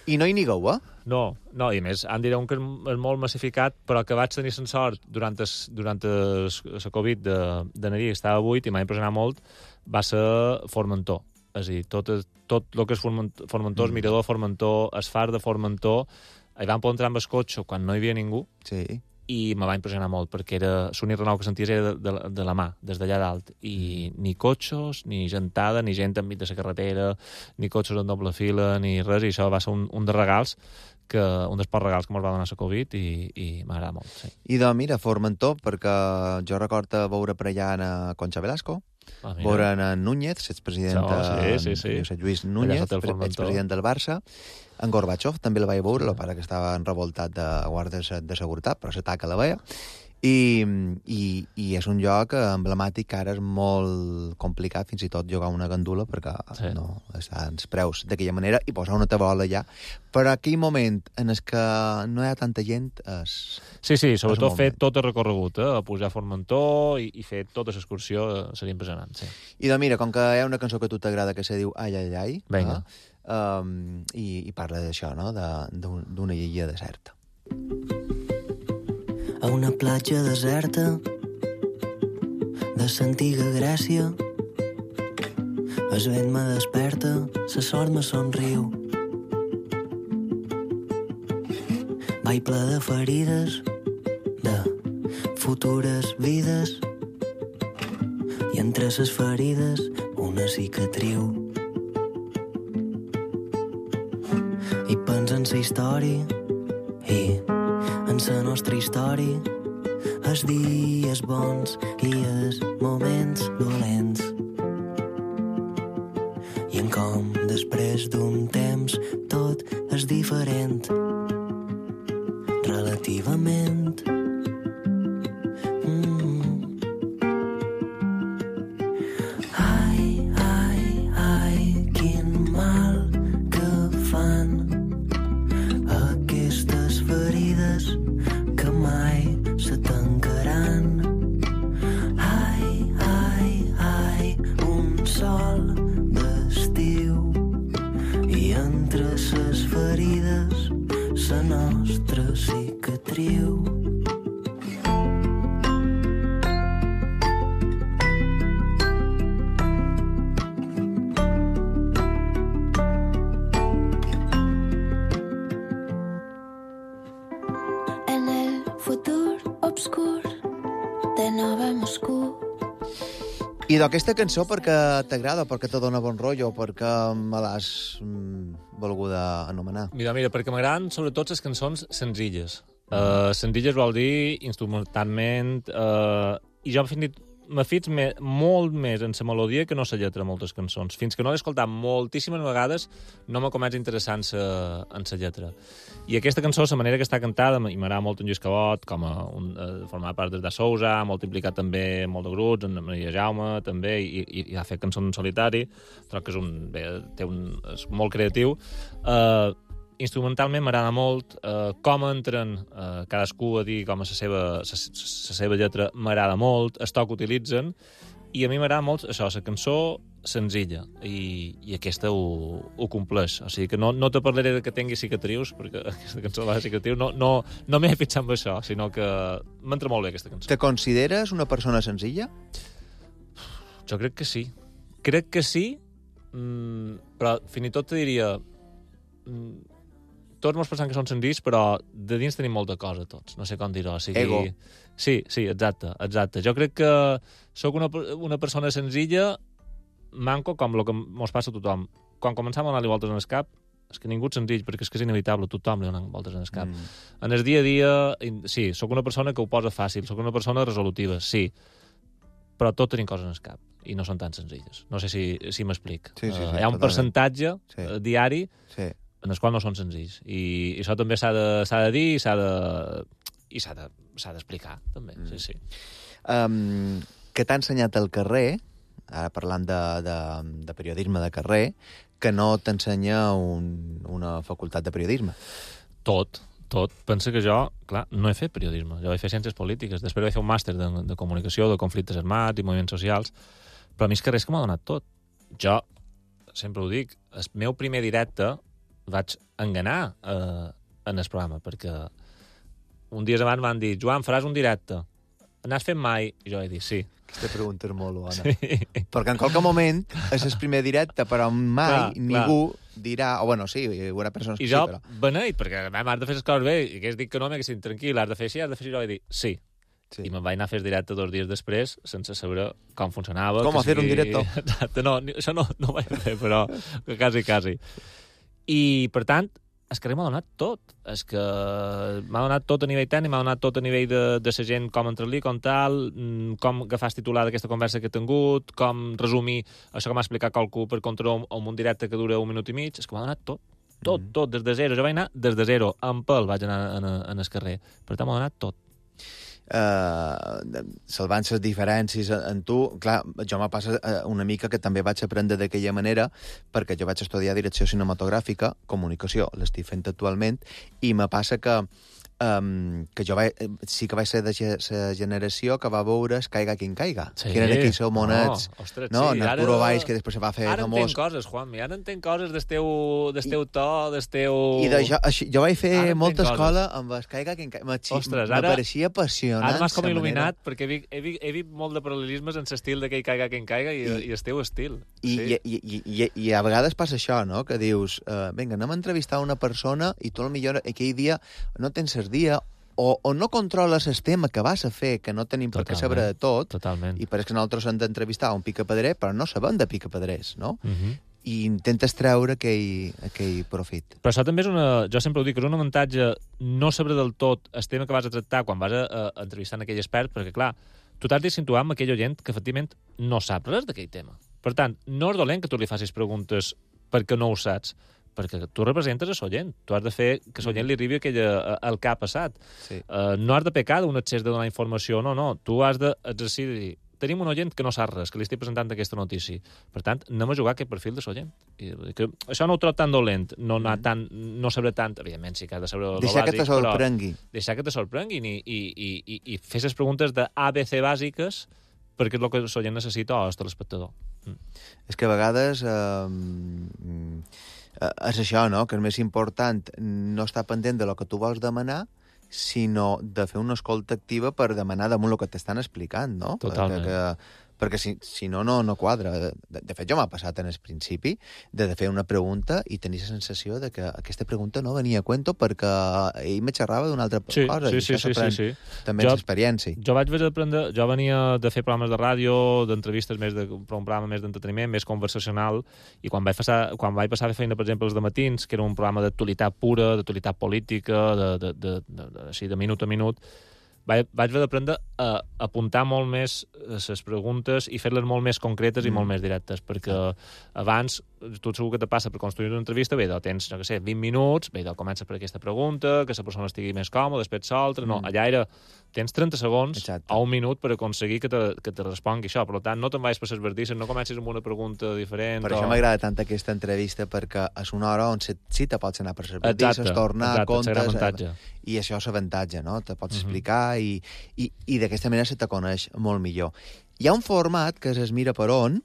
I no hi nigueu, eh? No, no, i a més, em direu que és molt massificat, però que vaig tenir la sort durant la Covid d'anar-hi, que estava buit i m'ha impressionat molt, va ser Formentor. És a dir, tot, tot el que és Formentor, el mirador de Formentor, el far de Formentor, hi vam poder entrar amb el cotxe quan no hi havia ningú, sí. i me va impressionar molt, perquè era l'únic renou que senties era de, de, de la mà, des d'allà dalt, i ni cotxes, ni gentada, ni gent enmig de la carretera, ni cotxes en doble fila, ni res, i això va ser un, un dels regals, que, un dels pocs regals que ens va donar la Covid, i, i m'agrada molt, sí. I de, mira, Formentor, perquè jo recordo veure per allà a Concha Velasco, ah, veure a Núñez, l'expresident sí, sí, sí. Josep Lluís Núñez, expresident del Barça, en Gorbachev també la vaig veure, el pare que estava enrevoltat de guàrdies de seguretat, però s'ataca la veia. I, i, i és un lloc emblemàtic que ara és molt complicat fins i tot jugar una gandula perquè sí. no estan els preus d'aquella manera i posar una tabola allà. Però aquell moment en el que no hi ha tanta gent és... Sí, sí, sobretot fer tot el recorregut, eh? Pujar a Formentor i, i fer tota l'excursió eh? seria impressionant, sí. I doncs mira, com que hi ha una cançó que a tu t'agrada que se diu Ai, ai, ai, Venga. Eh? Um, i, i parla d'això, no? D'una illa deserta. A una platja deserta de l'antiga Grècia, el vent me desperta, la sort me somriu. Vaig ple de ferides, de futures vides, i entre les ferides una cicatriu. I pensa en la història i en la nostra història, els dies bons i els moments dolents, i en com després d'un temps tot és diferent relativament. Mm. Ai, ai, ai, quin mal que fan aquestes ferides que mai se tancaran. Ai, ai, ai, un sol d'estiu, i entre ses ferides la nostra cicatriu. En el futur obscur de Nova Moscou. I d'aquesta cançó perquè t'agrada, perquè te dona bon rotllo, perquè me l'has mm, volguda anomenar? Mira, mira, perquè m'agraden sobretot les cançons senzilles. Mm. Uh, senzilles vol dir instrumentalment... Uh, I jo fins i me fix me, molt més en la melodia que no la lletra de moltes cançons. Fins que no l'he escoltat moltíssimes vegades, no m'ha començat interessant sa, en la lletra. I aquesta cançó, la manera que està cantada, i m'agrada molt en Lluís Cabot, com a un, a formar part de Sousa, molt implicat també molt de grups, en Maria Jaume, també, i, i, i ha fet cançons en solitari, trobo que és, un, bé, té un, és molt creatiu. Uh, instrumentalment m'agrada molt, uh, com entren uh, cadascú a dir com a la seva, sa, sa seva lletra m'agrada molt, el to que utilitzen, i a mi m'agrada molt això, la cançó senzilla, i, i aquesta ho, ho compleix. O sigui que no, no te parlaré de que tingui cicatrius, perquè aquesta cançó va de cicatrius, no, no, no m'he fixat amb això, sinó que m'entra molt bé aquesta cançó. Te consideres una persona senzilla? Jo crec que sí. Crec que sí, mmm, però fins i tot te diria... Mmm, tots mos pensem que són senzills, però de dins tenim molta cosa, tots. No sé com dir-ho. O sigui... Ego. Sí, sí, exacte, exacte. Jo crec que sóc una, una persona senzilla, manco, com el que mos passa a tothom. Quan començam a anar-li voltes en el cap, és que ningú és senzill, perquè és que és inevitable, tothom li dona voltes en el cap. Mm. En el dia a dia, sí, sóc una persona que ho posa fàcil, sóc una persona resolutiva, sí, però tot tenim coses en el cap, i no són tan senzilles. No sé si, si m'explic. Sí, sí, sí, uh, hi ha un totalment. percentatge sí. uh, diari sí. en els quals no són senzills. I, i això també s'ha de, s'ha de dir i s'ha de, i s'ha de, s'ha d'explicar, també. Mm. Sí, sí. Um, que t'ha ensenyat al carrer, ara parlant de, de, de periodisme de carrer, que no t'ensenya un, una facultat de periodisme? Tot, tot. Pensa que jo, clar, no he fet periodisme. Jo vaig fer ciències polítiques, després vaig fer un màster de, de comunicació, de conflictes armats i moviments socials, però a mi és que res que m'ha donat tot. Jo, sempre ho dic, el meu primer directe vaig enganar eh, en el programa, perquè un dia abans van dir, Joan, faràs un directe. N'has fet mai? I jo vaig dir, sí. Aquesta pregunta és molt bona. Sí. Perquè en qualque moment és el primer directe, però mai clar, ningú clar. dirà... O bueno, sí, una persona... I jo, sí, però... beneit, perquè has de fer les coses bé, i hagués dit que no, m'haguessin tranquil, has de fer així, has de fer així, i jo vaig dir, sí. sí. I me'n vaig anar a fer el directe dos dies després, sense saber com funcionava. Com a fer sigui... un directe? Exacte, no, això no, no ho vaig fer, però quasi, quasi. I, per tant, és que m'ha donat tot. És que m'ha donat tot a nivell tècnic, m'ha donat tot a nivell de, de la gent, com entrar-li, com tal, com agafar el titular d'aquesta conversa que he tingut, com resumir això que m'ha explicat qualcú per contra un, un directe que dura un minut i mig. És que m'ha donat tot. Tot, mm. tot, des de zero. Jo vaig anar des de zero. En pel vaig anar en, en el carrer. Per tant, m'ha donat tot. Uh, salvant les diferències en tu, clar, jo me passa una mica que també vaig aprendre d'aquella manera, perquè jo vaig estudiar direcció cinematogràfica, comunicació, l'estic fent actualment, i me passa que um, que jo vaig, sí que vaig ser de la generació que va veure es Caiga quien caiga, sí. que eren aquells monets, no, ostres, no, sí, Arturo ara... Valls, que després se va fer ara famós. Ara entenc coses, Juanmi, ara entenc coses del teu, del teu to, del teu... I de jo, així, jo vaig fer molta escola amb es Caiga quien caiga, m'apareixia apassionant. Ara m'has com il·luminat, manera. Perquè he vist, he, vist, he vist molt de paral·lelismes en l'estil de que hi caiga quien caiga i, I, i el teu estil. I, sí. i, i, i, I a vegades passa això, no?, que dius, uh, vinga, anem a entrevistar una persona i tu potser aquell dia no tens el dia o, o no controles el tema que vas a fer, que no tenim per què saber de tot, totalment. I pareix que nosaltres hem d'entrevistar un picapedrer, però no sabem de picapedrers, no? Uh -huh. I intentes treure aquell, aquell profit. Però això també és una... Jo sempre ho dic, és un avantatge no saber del tot el tema que vas a tractar quan vas a, a, a entrevistar en aquell expert, perquè, clar, tu t'has de situar amb aquell oient que, efectivament, no sap res d'aquell tema. Per tant, no és dolent que tu li facis preguntes perquè no ho saps, perquè tu representes a l'oient. Tu has de fer que l'oient li arribi aquella, el que ha passat. Sí. Uh, no has de pecar d'un excés de donar informació, no, no. Tu has d'exercir de dir, tenim un oient que no sap res, que li estic presentant aquesta notícia. Per tant, anem a jugar aquest perfil de l'oient. Això no ho trobo tan dolent, no, anar mm. tan, no saber tant, evidentment sí que has de saber el deixar bàsic, que te sorprengui. Deixar que te sorprenguin i, i, i, i, i fer les preguntes de A, B, C bàsiques perquè és el que l'oient necessita o el telespectador. Mm. És que a vegades... Eh, és això, no?, que és més important no estar pendent de lo que tu vols demanar, sinó de fer una escolta activa per demanar damunt el que t'estan explicant, no? Totalment. Que, que, perquè si, si no, no, no quadra. De, de fet, jo m'ha passat en el principi de, de fer una pregunta i tenir la sensació de que aquesta pregunta no venia a cuento perquè ell me xerrava d'una altra sí, cosa. Sí, i sí, sí, sí, sí. També és experiència. Jo vaig aprendre... Jo venia de fer programes de ràdio, d'entrevistes més de, un programa més d'entreteniment, més conversacional, i quan vaig passar, quan vaig passar a fer feina, per exemple, els dematins, que era un programa d'actualitat pura, d'actualitat política, de, de, de, de, de, així, de minut a minut, vaig, vaig haver d'aprendre a apuntar molt més les preguntes i fer-les molt més concretes mm. i molt més directes, perquè abans, tu segur que te passa per construir una entrevista, bé, doncs tens, no sé, vint minuts, bé, doncs comença per aquesta pregunta, que la persona estigui més còmoda, després l'altra, mm. no, allà era, tens trenta segons Exacte. a un minut per aconseguir que te, que te respongui això, per tant, no te'n vagis per les verdisses, no comencis amb una pregunta diferent. Per o... això m'agrada tant aquesta entrevista, perquè és una hora on sí te pots anar per les verdisses, tornar, exacte, comptes, eh, i això és l'avantatge, no? Te pots uh -huh. explicar i, i, i d'aquesta manera se te coneix molt millor. Hi ha un format que es Mira per on,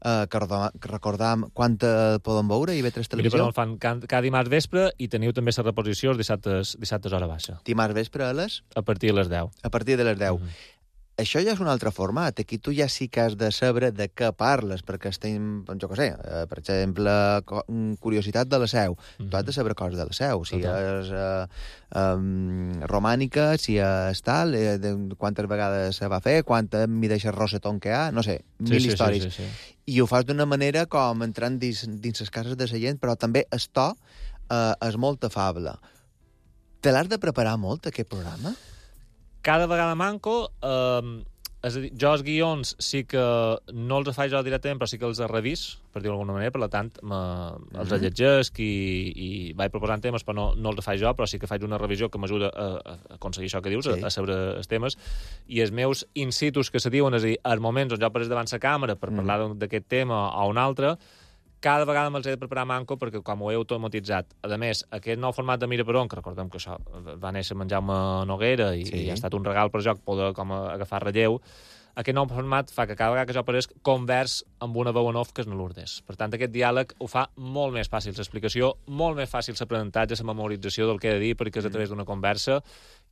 eh, que recordam quan te poden veure, i ve tres televisió. Mira per on fan cada, cada dimarts vespre i teniu també la reposició els dissabtes, dissabtes hora baixa. Dimarts vespre a les? A partir de les deu. A partir de les deu. Uh -huh. Això ja és un altre format. Aquí tu ja sí que has de saber de què parles, perquè estem, jo què sé, eh, per exemple, curiositat de la Seu. Mm-hmm. Tu has de saber coses de la Seu. Si Total. és eh, um, romànica, si és tal, eh, de quantes vegades se va fer, quanta mideix el rosetón que hi ha, no sé, mil sí, sí, històries. Sí, sí, sí. I ho fas d'una manera com entrant dins, dins les cases de la gent, però també el to eh, és molt afable. Te l'has de preparar molt, aquest programa? Cada vegada manco, eh, és a dir, jo els guions sí que no els faig jo directament, però sí que els revís, per dir-ho d'alguna manera, per tant, me, mm-hmm. els llegesc i, i vaig proposant temes, però no, no els faig jo, però sí que faig una revisió que m'ajuda a, a aconseguir això que dius, sí. a, a saber els temes, i els meus in-situs que se diuen, és a dir, els moments on jo apareix davant la càmera per mm. parlar d'aquest tema o un altre, cada vegada me'ls he de preparar manco perquè com ho he automatitzat. A més, aquest nou format de Mira per on, que recordem que això va néixer amb en Jaume Noguera i, sí. i ha estat un regal per joc poder com agafar relleu, aquest nou format fa que cada vegada que jo apareix convers amb una veu en off que és Lourdes. Per tant, aquest diàleg ho fa molt més fàcil l'explicació, molt més fàcil l'aprenentatge, la memorització del que he de dir, perquè és a través d'una conversa,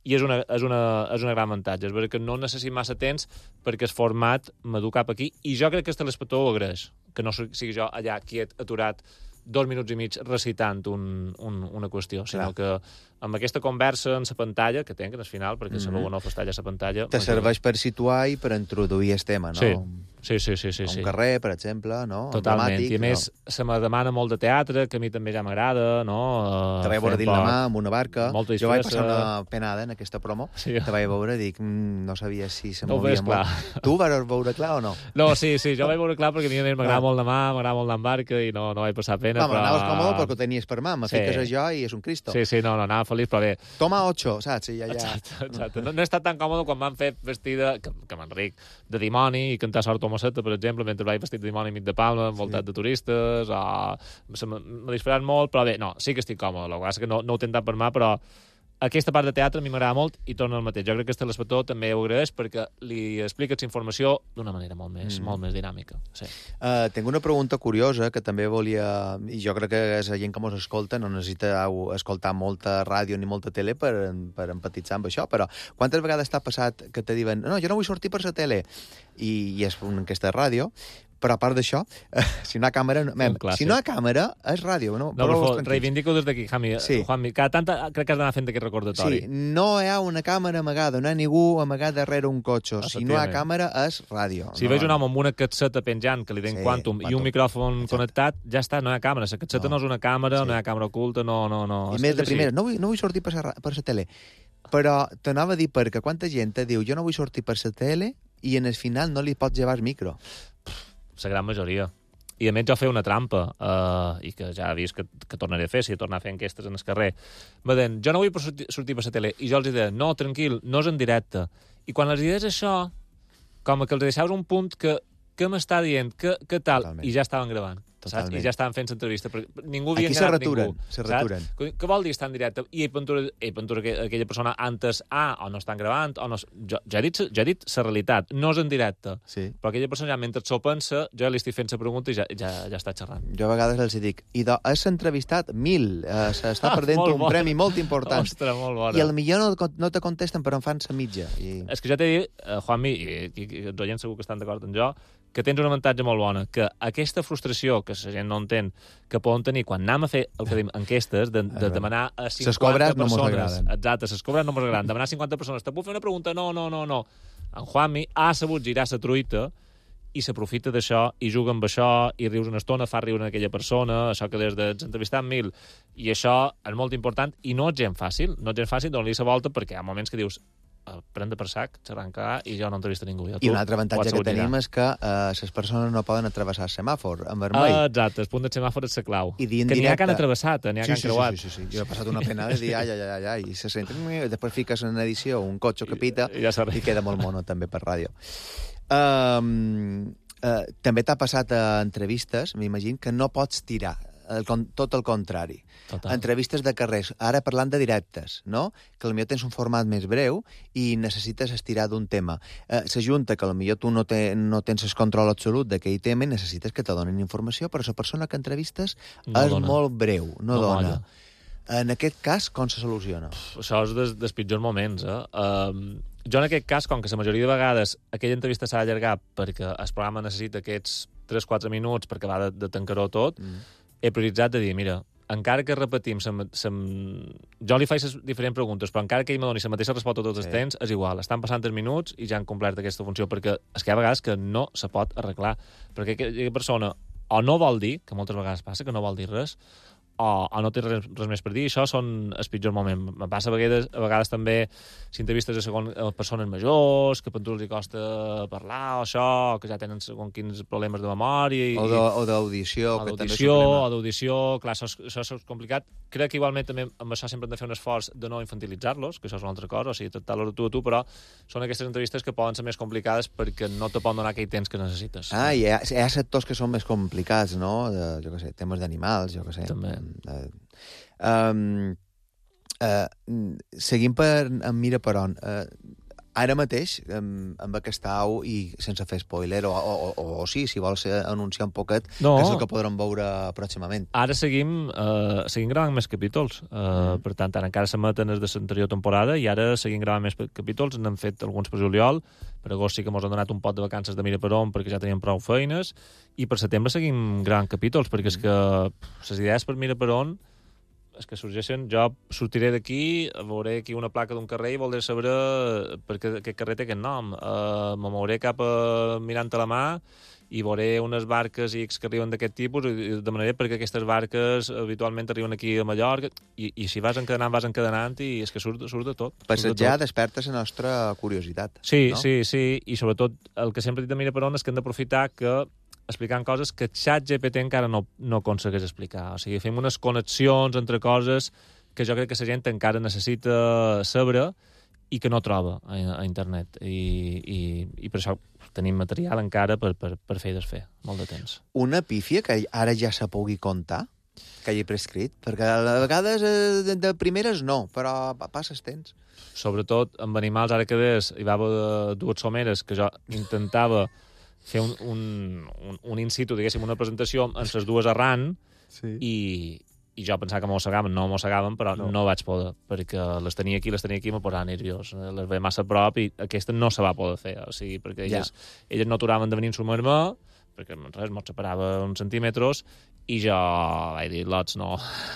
i és una, és una, és una gran avantatge. És veritat que no necessit massa temps perquè el format m'adu cap aquí, i jo crec que el telespectador ho agraeix, que no sigui jo allà quiet, aturat, dos minuts i mig recitant un, un, una qüestió, sinó Clar. que amb aquesta conversa en la pantalla, que tenc al final, perquè mm -hmm. la veu en off està allà a la pantalla... Te serveix per situar i per introduir el tema, no? Sí, sí, sí. sí, sí, un sí. carrer, per exemple, no? Totalment, i a més no? se me demana molt de teatre, que a mi també ja m'agrada, no? Te vaig veure dins la mà amb una barca. Molta jo vaig passar una penada en aquesta promo, sí. te vaig veure i dic, mm, no sabia si se no movia molt. Clar. Tu vas veure clar o no? No, sí, sí, jo vaig veure clar perquè a mi m'agrada molt la mà, m'agrada molt la barca i no, no vaig passar pena, no, però... anaves còmode perquè ho tenies per mà, me sí. fiques a jo i és un Cristo. Sí, sí, no, no, anava feliç, però bé. Toma ocho, saps? I ja, ja... Exacte, exacte. No, no he estat tan còmode quan m'han fet vestida, que, que m'enric, de dimoni i cantar Sort Tomaceta, per exemple, mentre vaig vestit de dimoni enmig de Palma, envoltat sí. de turistes, o... m'ha disparat molt, però bé, no, sí que estic còmode, la cosa és que no, no ho he tentat per mà, però aquesta part de teatre a mi m'agrada molt i torna al mateix. Jo crec que el telespectador també ho agraeix perquè li expliques informació d'una manera molt més, mm. molt més dinàmica. Sí. Uh, tinc una pregunta curiosa que també volia... I jo crec que la gent que mos escolta no necessita escoltar molta ràdio ni molta tele per, per empatitzar amb això, però quantes vegades t'ha passat que te diuen no, jo no vull sortir per la tele i, i és una enquesta de ràdio, però a part d'això, eh, si no hi ha càmera... Mem, si no hi ha càmera, és ràdio. No, no però reivindico des d'aquí, Jami. Sí. Juanmi, cada tant crec que has d'anar fent aquest recordatori. Sí, no hi ha una càmera amagada, no hi ha ningú amagat darrere un cotxe. Si no hi ha càmera, és ràdio. Si no, veig un home amb una catseta penjant, que li den sí, Quantum, Quantum, i un micròfon Exacte. connectat, ja està, no hi ha càmera. La catseta no, no és una càmera, sí. no hi ha càmera oculta, no... no, no. I més de primera, no vull, no vull sortir per la, per la tele. Però t'anava a dir perquè quanta gent te diu jo no vull sortir per la tele i en el final no li pots llevar el micro. La gran majoria. I a més jo feia una trampa, eh, i que ja he vist que, que tornaré a fer, si tornar a fer enquestes en el carrer. Me deien, jo no vull sortir, sortir per la tele. I jo els deia, no, tranquil, no és en directe. I quan els deies això, com que els deixaves un punt que, que m'està dient, que, que tal, Totalment. I ja estaven gravant. Saps? I ja estaven fent l'entrevista. Ningú havia engarat ningú. Se raturen. Què vol dir estar en directe? I Ventura, ei, Ventura aquella persona antes, ah, o no estan gravant, o no... Jo, ja he dit ja he dit la realitat, no és en directe. Sí. Però aquella persona ja, mentre s'ho pensa, jo ja li estic fent la pregunta i ja, ja, ja està xerrant. Jo a vegades els dic, i do, has entrevistat mil, eh, s'està perdent un bona. premi molt important. Ostres, molt bona. I potser no, no te contesten, però en fan sa mitja. I... És que ja t'he dit, eh, Juanmi, i, i, i els oients segur que estan d'acord amb jo, que tens un avantatge molt bona, que aquesta frustració que la gent no entén, que poden tenir quan anem a fer el que diem enquestes, de, de demanar a cinquanta persones... No exacte, ses cobres no mos agraden. Demanar a cinquanta persones, te puc fer una pregunta? No, no, no, no. En Juanmi ha sabut girar la truita i s'aprofita d'això, i juga amb això, i rius una estona, fa riure aquella persona, això que des de entrevistar mil, i això és molt important, i no és gent fàcil, no és gent fàcil donar-li la volta, perquè hi ha moments que dius prendre per sac, xerrancar, i jo no entrevista ningú. Jo, I un altre avantatge que tenim és que les uh, persones no poden atravessar el semàfor en vermell. Ah, exacte, el punt del semàfor és la clau. I que n'hi ha que han atravessat, n'hi ha sí, que han sí, creuat. Sí, sí, sí, sí. Jo he passat una pena de dir ai, ai, ai, ai, i se sent... Després fiques en edició un cotxe que pita I, ja i queda molt mono també per ràdio. Um, uh, també t'ha passat a entrevistes, m'imagino, que no pots tirar, el, tot el contrari. Total. Entrevistes de carrers, ara parlant de directes, no? Que potser tens un format més breu i necessites estirar d'un tema. Eh, S'ajunta que potser tu no, te, no tens el control absolut d'aquell tema i necessites que te donin informació, però la persona que entrevistes no és dona. Molt breu, no, no dona. Molla. En aquest cas, com se soluciona? Uf, això és dels, dels pitjors moments, eh? Um, jo en aquest cas, com que la majoria de vegades aquella entrevista s'ha d'allargar perquè el programa necessita aquests tres quatre minuts perquè va de, de tancar-ho tot, mm. he prioritzat de dir, mira, encara que repetim, sem, sem... jo li faig les diferents preguntes, però encara que ell me doni la mateixa resposta tots els sí. temps, és igual. Estan passant tres minuts i ja han complert aquesta funció, perquè és que hi ha vegades que no se pot arreglar, perquè aquella persona o no vol dir, que moltes vegades passa, que no vol dir res, o, o no té res, res més per dir, això són els pitjors moments. Me passa a vegades, a vegades també si entrevistes a, segon, a persones majors, que per tu els costa parlar, o això, que ja tenen segon quins problemes de memòria... I, o d'audició, que també és un problema. O d'audició, clar, això, això és complicat. Crec que igualment també amb això sempre hem de fer un esforç de no infantilitzar-los, que això és una altra cosa, o sigui, tractar-los tu a tu, però són aquestes entrevistes que poden ser més complicades perquè no te poden donar aquell temps que necessites. Ah, hi ha, hi ha sectors que són més complicats, no? De, jo què sé, temes d'animals, jo què sé. També. Uh, um, uh, seguim per en Mira per on. Uh, ara mateix, um, amb aquesta au, i sense fer spoiler, o, o, o, o sí, si vols anunciar un poquet, no. que és el que podrem veure pròximament. Ara seguim, uh, seguim gravant més capítols. Uh, mm. Per tant, ara encara s'emeten els de l'anterior temporada i ara seguim gravant més capítols. N'hem fet alguns per juliol. Per agost sí que ens han donat un pot de vacances de Mira per on perquè ja teníem prou feines. I per setembre seguim gravant capítols, perquè és que les idees per Mira per on és que sorgeixen, jo sortiré d'aquí, veuré aquí una placa d'un carrer i voldré saber per què aquest carrer té aquest nom. Uh, me mouré cap a mirant a la mà i veuré unes barques X que arriben d'aquest tipus i demanaré perquè aquestes barques habitualment arriben aquí a Mallorca i, i si vas encadenant, vas encadenant i és que surt, surt de tot. Passejar despertes la nostra curiositat. Sí, no? sí, sí, i sobretot el que sempre he dit de Mira per on és que hem d'aprofitar que explicant coses que ChatGPT encara no, no aconsegueix explicar. O sigui, fem unes connexions entre coses que jo crec que la gent encara necessita saber i que no troba a, a internet. I, i, i per això tenim material encara per, per, per fer i desfer, molt de temps. Una pífia que ara ja se pugui contar, que hagi prescrit? Perquè a vegades de, de primeres no, però passes temps. Sobretot amb animals, ara que des, hi va haver dues someres que jo intentava fer un, un, un, un in situ, diguéssim, una presentació amb les dues arran sí. i, i jo pensava que mossegaven, no mossegaven, però no. no vaig poder, perquè les tenia aquí, les tenia aquí i me posava nerviós. Les veia massa a prop i aquesta no se va poder fer, o sigui, perquè elles, ja. elles no aturaven de venir a sumar-me, perquè res, mos separava uns centímetres, i jo vaig dir, lots, no,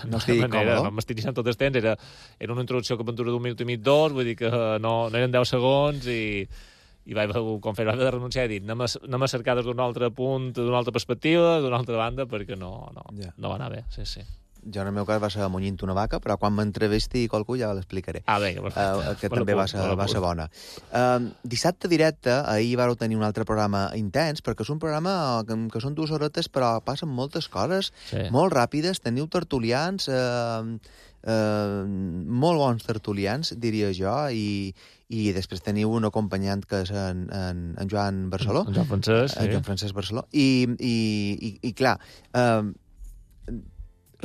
no estic còmode. No m'estic deixant tot el temps, era, era una introducció que dura d'un minut i mig, dos, vull dir que no, no eren deu segons, i... i vaig com fer, vaig haver de renunciar i dir anem a, anem a cercar des d'un altre punt, d'una altra perspectiva, d'una altra banda, perquè no, no, yeah. no va anar bé, sí, sí. Jo en el meu cas va ser munyint una vaca, però quan m'entrevesti qualcú ja l'explicaré. Ah, bé, perfecte. Uh, que també va ser, va ser bona. Uh, dissabte directe, ahir vau tenir un altre programa intens, perquè és un programa que, que són dues horetes, però passen moltes coses, sí. molt ràpides, teniu tertulians, uh, uh, molt bons tertulians, diria jo, i, i després teniu un acompanyant que és en, en, en Joan Barceló. En Joan Francesc, sí. En Joan Francesc Barceló. I, i, i, i clar, uh,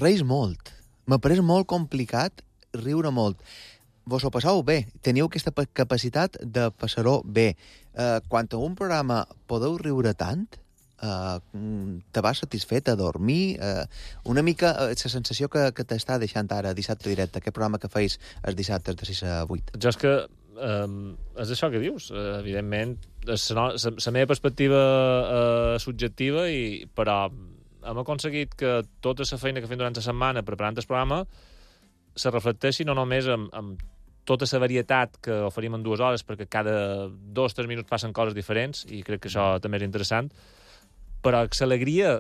reis molt. M'ha pareix molt complicat riure molt. Vos ho passeu bé. Teniu aquesta capacitat de passar-ho bé. Uh, quan a un programa podeu riure tant, uh, te vas satisfet a dormir? Uh, una mica uh, la sensació que, que t'està deixant ara dissabte directe, aquest programa que feis els dissabtes de sis a vuit. Jo és que um, és això que dius. Uh, evidentment, és la, la, la meva perspectiva uh, subjectiva, i, però hem aconseguit que tota la feina que fem durant la setmana preparant el programa se reflecteixi no només amb, amb tota la varietat que oferim en dues hores, perquè cada dos o tres minuts passen coses diferents, i crec que això també és interessant, però l'alegria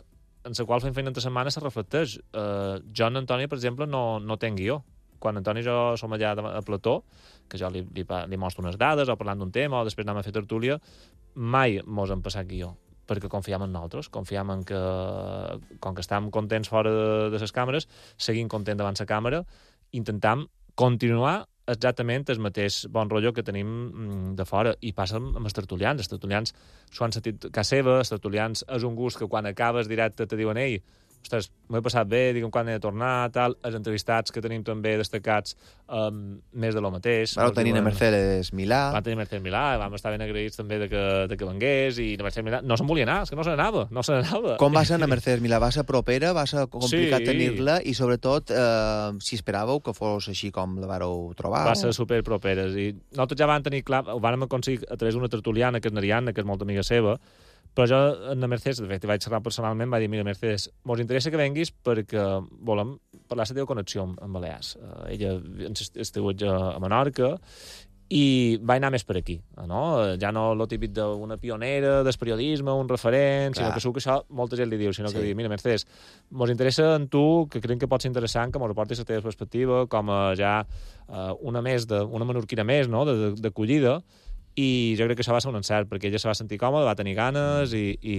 en la qual fem feina entre setmana se reflecteix. Uh, jo, en Antoni, per exemple, no, no tenc guió. quan Antoni i jo som allà a plató, que jo li, li, li mostro unes dades o parlant d'un tema o després anem a fer tertúlia, mai mos hem passat guió, perquè confiem en nosaltres, confiem en que, com que estem contents fora de, de les càmeres, seguim contents davant la càmera, intentam continuar exactament el mateix bon rotllo que tenim de fora. I passa amb els tertulians. Els tertulians s'ho han sentit a casa seva, els tertulians és un gust que quan acabes directe te diuen ei, ostres, m'ho he passat bé, digue'm quan he de tornar, tal. Els entrevistats que tenim també destacats, um, més de lo mateix. Vau tenir a Mercedes Milà. Vam tenir Mercedes Milà, vam estar ben agraïts també de que, de que vengués, i la Mercedes Milà no se'n volia anar, és que no se n'anava, no se n'anava. Com va ser a Mercedes Milà? Va ser propera, va ser complicat sí. tenir-la, i sobretot, eh, si esperàveu que fos així com la vareu trobar. Va ser super properes, i nosaltres ja vam tenir clar, ho vam aconseguir a través d'una tertuliana, que és Nariana, que és molt amiga seva, però jo, en la Mercedes, de fet, vaig xerrar personalment, va dir, mira, Mercedes, mos interessa que venguis perquè volem parlar la teva connexió amb Balears. Uh, ella estigut a Menorca i va anar més per aquí, no? Ja no lo típic d'una pionera, del periodisme, un referent, Clar. sinó que segur que això molta gent li diu, sinó sí. que diu, mira, Mercedes, mos interessa en tu, que creiem que pot ser interessant, que mos aportis la teva perspectiva, com a ja uh, una més, de, una menorquina més, no?, d'acollida, i jo crec que això va ser un encert, perquè ella se va sentir còmoda, va tenir ganes i, i,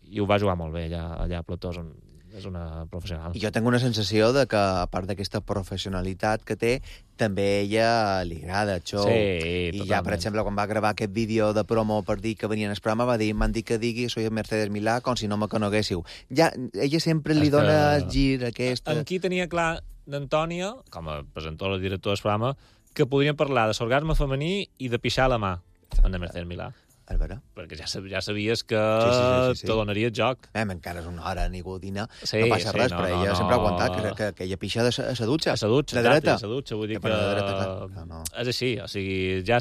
i ho va jugar molt bé allà, allà a Plató, és, un, és una professional. I jo tinc una sensació de que, a part d'aquesta professionalitat que té, també a ella li agrada el show. Sí, I totalment. ja, per exemple, quan va gravar aquest vídeo de promo per dir que venien al programa, va dir, m'han dit que digui soy Mercedes Milà com si no me coneguéssiu. Ja, ella sempre li dona el gir aquest... En qui tenia clar d'Antònia, com a presentadora i director del programa, que podrien parlar de l'orgasme femení i de pixar la mà en la Mercedes Milà. És vera. Perquè ja, ja sabies que sí, sí, sí, sí, sí. te donaria el joc. Eh, encara és una hora nigudina, sí, no passa sí, res, no, però no, ella no. sempre ha aguantat que, que, que ella pixa de sa, a sa dutxa. A sa dutxa, de dreta. A sa dutxa, vull dir que... De dreta, clar. No, no. És així, o sigui, ja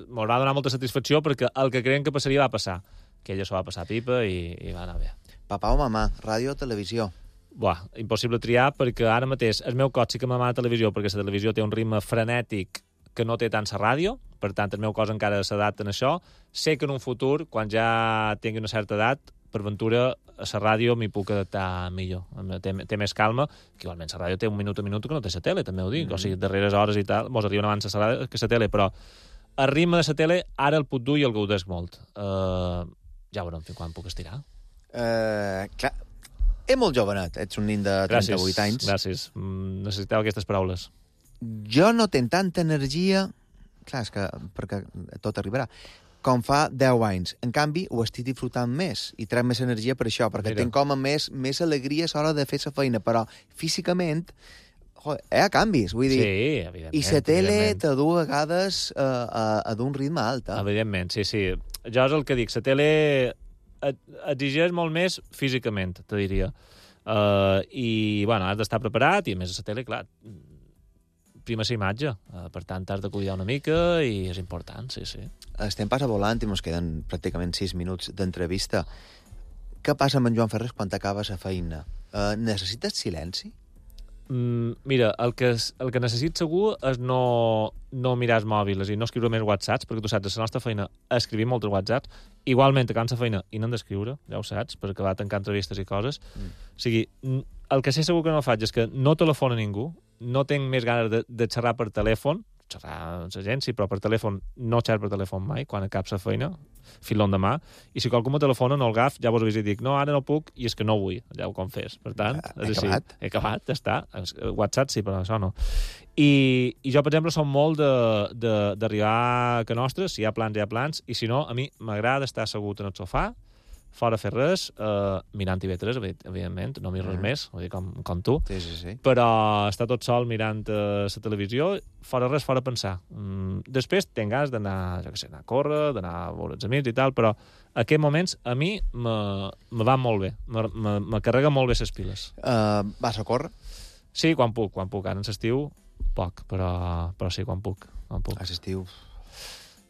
m'ho va donar molta satisfacció perquè el que creiem que passaria va passar. Que ella s'ho va passar pipa i, i va anar bé. Papà o mamà, ràdio o televisió? Buah, impossible triar perquè ara mateix el meu cos sí que m'amà la televisió perquè la televisió té un ritme frenètic que no té tant la ràdio, per tant, el meu cos encara s'adapta a això. Sé que en un futur, quan ja tingui una certa edat, per ventura, a la ràdio m'hi puc adaptar millor. Té, té més calma, que igualment la ràdio té un minut a minut que no té la tele, també ho dic. Mm. O sigui, darreres hores i tal, mos arriben abans a la, que la tele, però el ritme de la tele ara el puc dur i el gaudesc molt. Uh, ja veurem fins quan puc estirar. Uh, clar, és molt jovenet, ets un nin de trenta-vuit gràcies, anys. Gràcies, mm, necessitava aquestes paraules. Jo no tenc tanta energia, clar, és que perquè tot arribarà, com fa deu anys. En canvi, ho estic disfrutant més i trec més energia per això, perquè Mira. tinc com a més, més alegria a l'hora de fer la feina, però físicament joder, hi ha canvis, vull dir... Sí, evidentment. I la tele te du a vegades uh, a, a d'un ritme alt. Eh? Evidentment, sí, sí. Jo és el que dic, la tele exigeix molt més físicament, te diria. Uh, I, bueno, has d'estar preparat i, a més, a la tele, clar, prima la imatge. Uh, per tant, has de cuidar una mica i és important, sí, sí. Estem passa volant i ens queden pràcticament sis minuts d'entrevista. Què passa amb en Joan Ferrés quan t'acaba la feina? Uh, necessites silenci? Mm, mira, el que, el que necessito segur és no, no mirar els mòbils i no escriure més whatsapps, perquè tu saps, a la nostra feina escrivim molts whatsapps, igualment acabant la feina i n'hem d'escriure, ja ho saps, perquè va tancar entrevistes i coses. Mm. O sigui, el que sé segur que no faig és que no telefona ningú, no tinc més ganes de, de xerrar per telèfon, xerrar amb l'agència, però per telèfon no xerro per telèfon mai, quan acab la feina, fil l'endemà, i si qualcú me telefona no el agaf, ja vos avís i dic, no, ara no puc, i és que no vull, ja ho confés. Per tant, he és així. acabat. He acabat, ja està. WhatsApp sí, però això no. I, i jo, per exemple, som molt d'arribar a que nostres, si hi ha plans, hi ha plans, i si no, a mi m'agrada estar assegut en el sofà, fora fer res, uh, mirant T V tres, evidentment, no mir res mm. més, vull dir, com, com tu, sí, sí, sí. però estar tot sol mirant uh, la televisió, fora res, fora pensar. Mm, després tenc ganes d'anar, jo què sé, anar a córrer, d'anar a veure els amics i tal, però aquests moments a mi me, me van molt bé, me, me, me carrega molt bé les piles. Uh, vas a córrer? Sí, quan puc, quan puc. Ara en l'estiu, poc, però, però sí, quan puc. Quan puc. A l'estiu...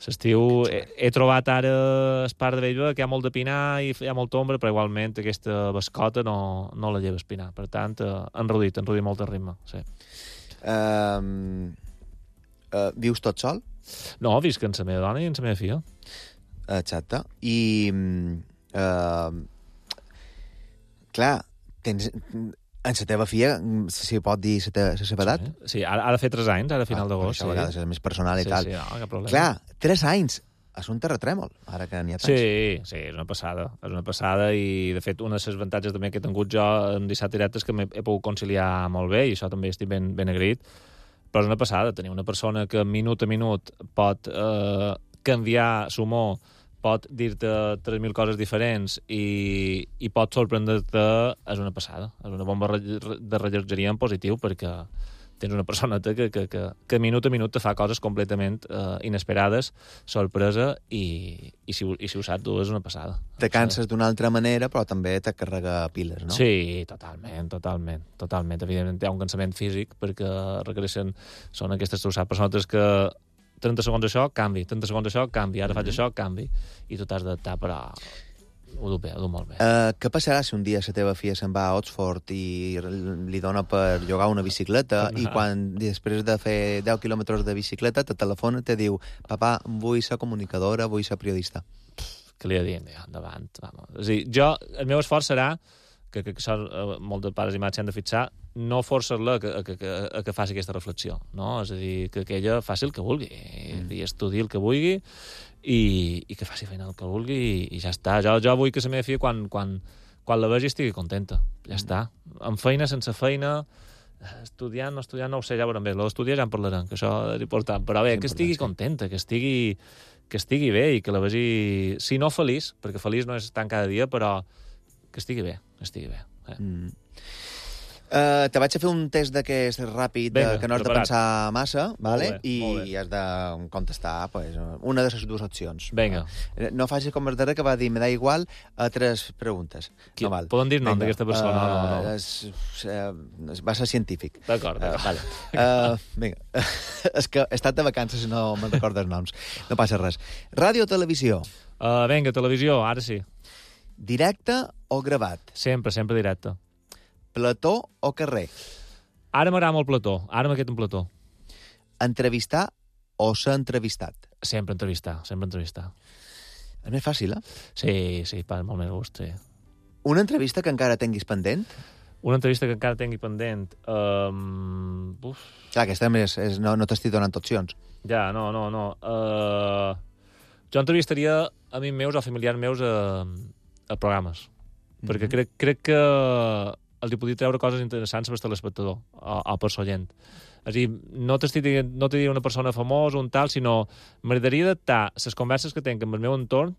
L'estiu he, he trobat ara el parc de Bellver que hi ha molt de pinar i hi ha molta ombra, però igualment aquesta bascota no, no la lleva espinar. Per tant, eh, enrodit, enrodit molt el ritme. Sí. Uh, uh, vius tot sol? No, visc amb la meva dona i amb la meva filla. Exacte. I... Uh, clar, tens, En la teva filla, si pot dir la teva, la seva edat? Sí, sí ara, ara fer tres anys, ara a final Ah, d'agost. això a vegades és més personal i sí, tal. Sí, no, cap problema. Clar, tres anys. És un terratrèmol, ara que n'hi ha tants. Sí, sí, és una passada. És una passada i, de fet, un dels avantatges també que he tingut jo en dissabte directe és que m'he he pogut conciliar molt bé i això també estic ben, ben agraït. Però és una passada tenir una persona que minut a minut pot eh, canviar l'humor, pot dir-te tres mil coses diferents i, i pot sorprendre-te, és una passada. És una bomba de rellotgeria en positiu perquè tens una persona que, que, que, que minut a minut te fa coses completament eh, inesperades, sorpresa, i, i, si, i si ho saps tu és una passada. Te canses d'una altra manera, però també te carrega piles, no? Sí, totalment, totalment, totalment. Evidentment hi ha un cansament físic perquè requereixen, són aquestes, tu saps, persones que trenta segons això, canvi, trenta segons això, canvi, ara mm-hmm. faig això, canvi, i tu t'has d'adaptar, però ho du bé, ho du molt bé. Uh, què passarà si un dia la teva filla se'n va a Oxford i li dona per llogar una bicicleta i quan després de fer deu quilòmetres de bicicleta te telefona i te diu papà, vull ser comunicadora, vull ser periodista? Què li he dit? Ja, endavant. Vamos. És a dir, jo, el meu esforç serà que, que, que això, molts de pares i mares s'han de fixar, no forçar-la a, a, a, a que faci aquesta reflexió, no? És a dir, que, que ella faci el que vulgui, mm. i estudi el que vulgui, i, i que faci feina el que vulgui, i, i ja està. Jo, jo vull que la meva filla, quan, quan, quan la vegi, estigui contenta. Ja mm. està. Amb feina, sense feina, estudiant, no estudiant, no ho sé, ja veurem bé. L'estudiar ja en parlarem, que això és important. Però bé, que estigui contenta, que estigui, que estigui bé i que la vegi, si no feliç, perquè feliç no és tant cada dia, però que estigui bé, que estigui bé. Eh? Mm. Uh, te vaig a fer un test d'aquest ràpid, Venga, que no has preparat. de pensar massa, vale? Bé, i has de contestar pues, una de les dues opcions. Vinga. No facis com el darrer que va dir me da igual a tres preguntes. Qui, no val. Poden dir nom d'aquesta persona? Uh, no, no. És, uh, va ser científic. D'acord. Uh, vale. uh, vinga. És que he estat de vacances i no me'n recordo els noms. No passa res. Ràdio o televisió? Uh, vinga, televisió, ara sí. Directe o gravat? Sempre, sempre directe. Plató o carrer? Ara m'agrada molt plató. Ara m'agrada un plató. Entrevistar o ser entrevistat? Sempre entrevistar, sempre entrevistar. És més fàcil, eh? Sí, sí, per molt més gust, sí. Una entrevista que encara tinguis pendent? Una entrevista que encara tingui pendent... Um... Uf. Clar, aquesta és, és, no, no t'estic donant opcions. Ja, no, no, no. Uh... Jo entrevistaria amics meus o familiars meus a, a programes. Mm-hmm. Perquè crec, crec que els hi podria treure coses interessants per l'espectador o, o per l'oient. És a dir, no t'estic dient, no t'he dit una persona famosa o un tal, sinó m'agradaria adaptar les converses que tinc amb el meu entorn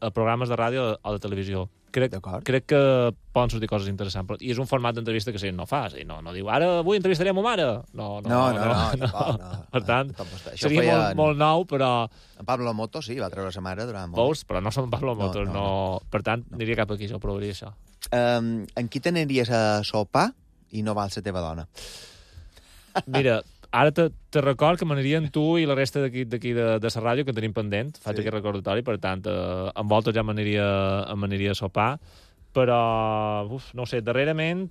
a programes de ràdio o de televisió. Crec, crec que poden sortir coses interessants. I és un format d'entrevista que si no fa. No, no diu, ara avui entrevistaré a ma mare. No, no, no. no, no, no, no, no, no. Per tant, no, seria feia... molt, molt nou, però... En Pablo Moto, sí, va treure sa mare durant molt. Veus? Però no som Pablo Moto. No, no, no. no. Per tant, no. aniria cap aquí, jo provaria això. Um, en qui t'aniries a sopar i no val la teva dona? Mira, ara te, te record que m'aniria amb tu i la resta d'aquí d'aquí de, de la ràdio, que tenim pendent. Faig sí. aquest recordatori, per tant, eh, amb voltes ja m'aniria a sopar. Però, uf, no ho sé, darrerament...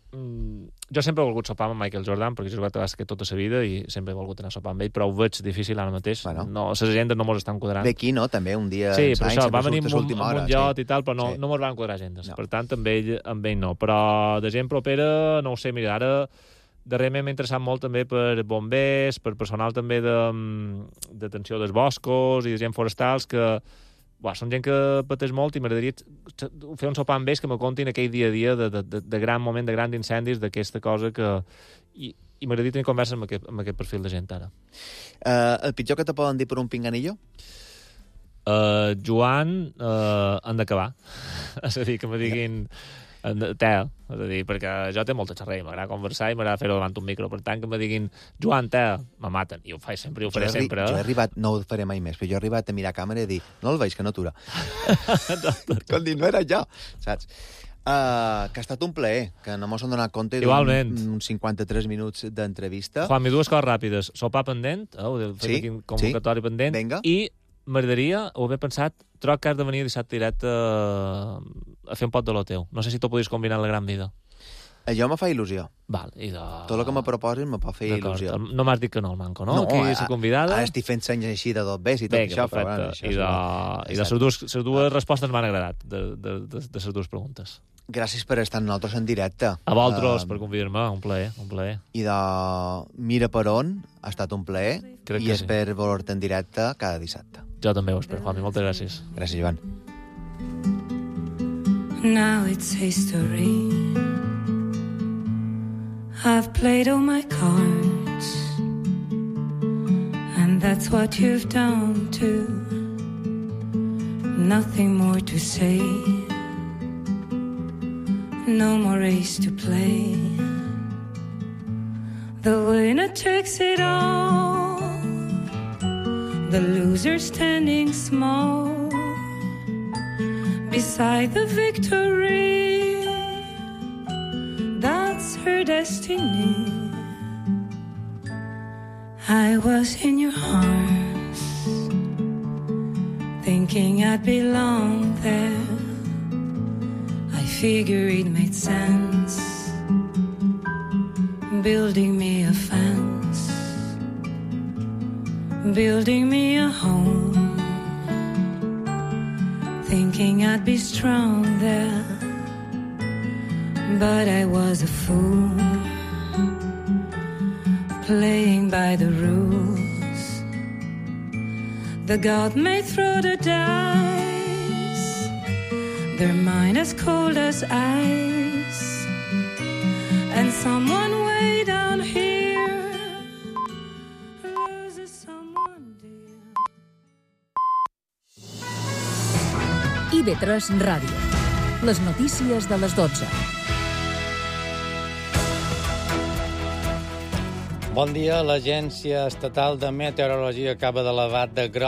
Mm, jo sempre he volgut sopar amb Michael Jordan, perquè he jugat a bàsquet tota la vida i sempre he volgut anar a sopar amb ell, però ho veig difícil ara mateix. Bueno. No, les agendes no mos estan quadrant. Ve aquí, no? També un dia... Sí, per això, va venir amb un, hora, amb un llot sí. i tal, però no, sí. no mos van quadrar agendes. No. Per tant, amb ell, amb ell no. Però de gent propera, no ho sé, mira, ara darrerament m'he interessat molt també per bombers, per personal també d'atenció de, dels boscos i de gent forestals que... Buah, són gent que pateix molt i m'agradaria fer un sopar amb ells que me contin aquell dia a dia de, de, de, de gran moment, de grans incendis, d'aquesta cosa que... I, i m'agradaria tenir converses amb aquest, amb aquest perfil de gent ara. Uh, el pitjor que te poden dir per un pinganillo? Uh, Joan, uh, han d'acabar. És a dir, que me diguin... Tea, és a dir, perquè jo té molta xerrera, m'agrada conversar i m'agrada fer-ho davant un micro, per tant que me diguin Joan, Tea, me maten, i ho faig sempre i ho faré jo sempre. Jo he arribat, no ho faré mai més, però jo he arribat a mirar a càmera i dir, no el veig, que no atura. Com dir, no era jo, saps? Uh, que ha estat un plaer, que no mos hem donat compte d'uns cinquanta-tres minuts d'entrevista. Juanmi, dues coses ràpides. Sopar pendent, eh, ho he fet sí, aquí un convocatori sí. pendent, Venga. I m'agradaria, ho he pensat, troc que has de venir dissabte directe a, a fer un pot de lo teu. No sé si t'ho podries combinar en la gran vida. Jo me fa il·lusió. Val, i de... Tot el que me proposin me pot fer il·lusió. No m'has dit que no, el manco, no? No, Aquí és la convidada. Ara estic fent senyes així de dos bes i tot Venga, això. Però, bueno, això I de, i de les dues, les dues respostes m'han agradat, de, de, de, de les dues preguntes. gràcies per estar amb nosaltres en directe. A vosaltres, uh, per convidar-me, un plaer, un plaer. I de Mira per on, ha estat un plaer, Crec i que espero sí. veure-te en directe cada dissabte. Jo també ho espero, Juanmi, moltes gràcies. Gràcies, Joan. Now it's history. I've played all my cards, and that's what you've done too. Nothing more to say, no more race to play. The winner takes it all, the loser standing small beside the victory. That's her destiny. I was in your arms, thinking I'd belong there. I figure it made sense, building me a fence, building me a home, thinking I'd be strong there. But I was a fool, playing by the rules. The god may throw the dice, their mind as cold as ice, and someone way down here loses someone dear. I V tres Ràdio. Les notícies de les dotze. Bon dia. L'Agència Estatal de Meteorologia acaba d'elevar de groc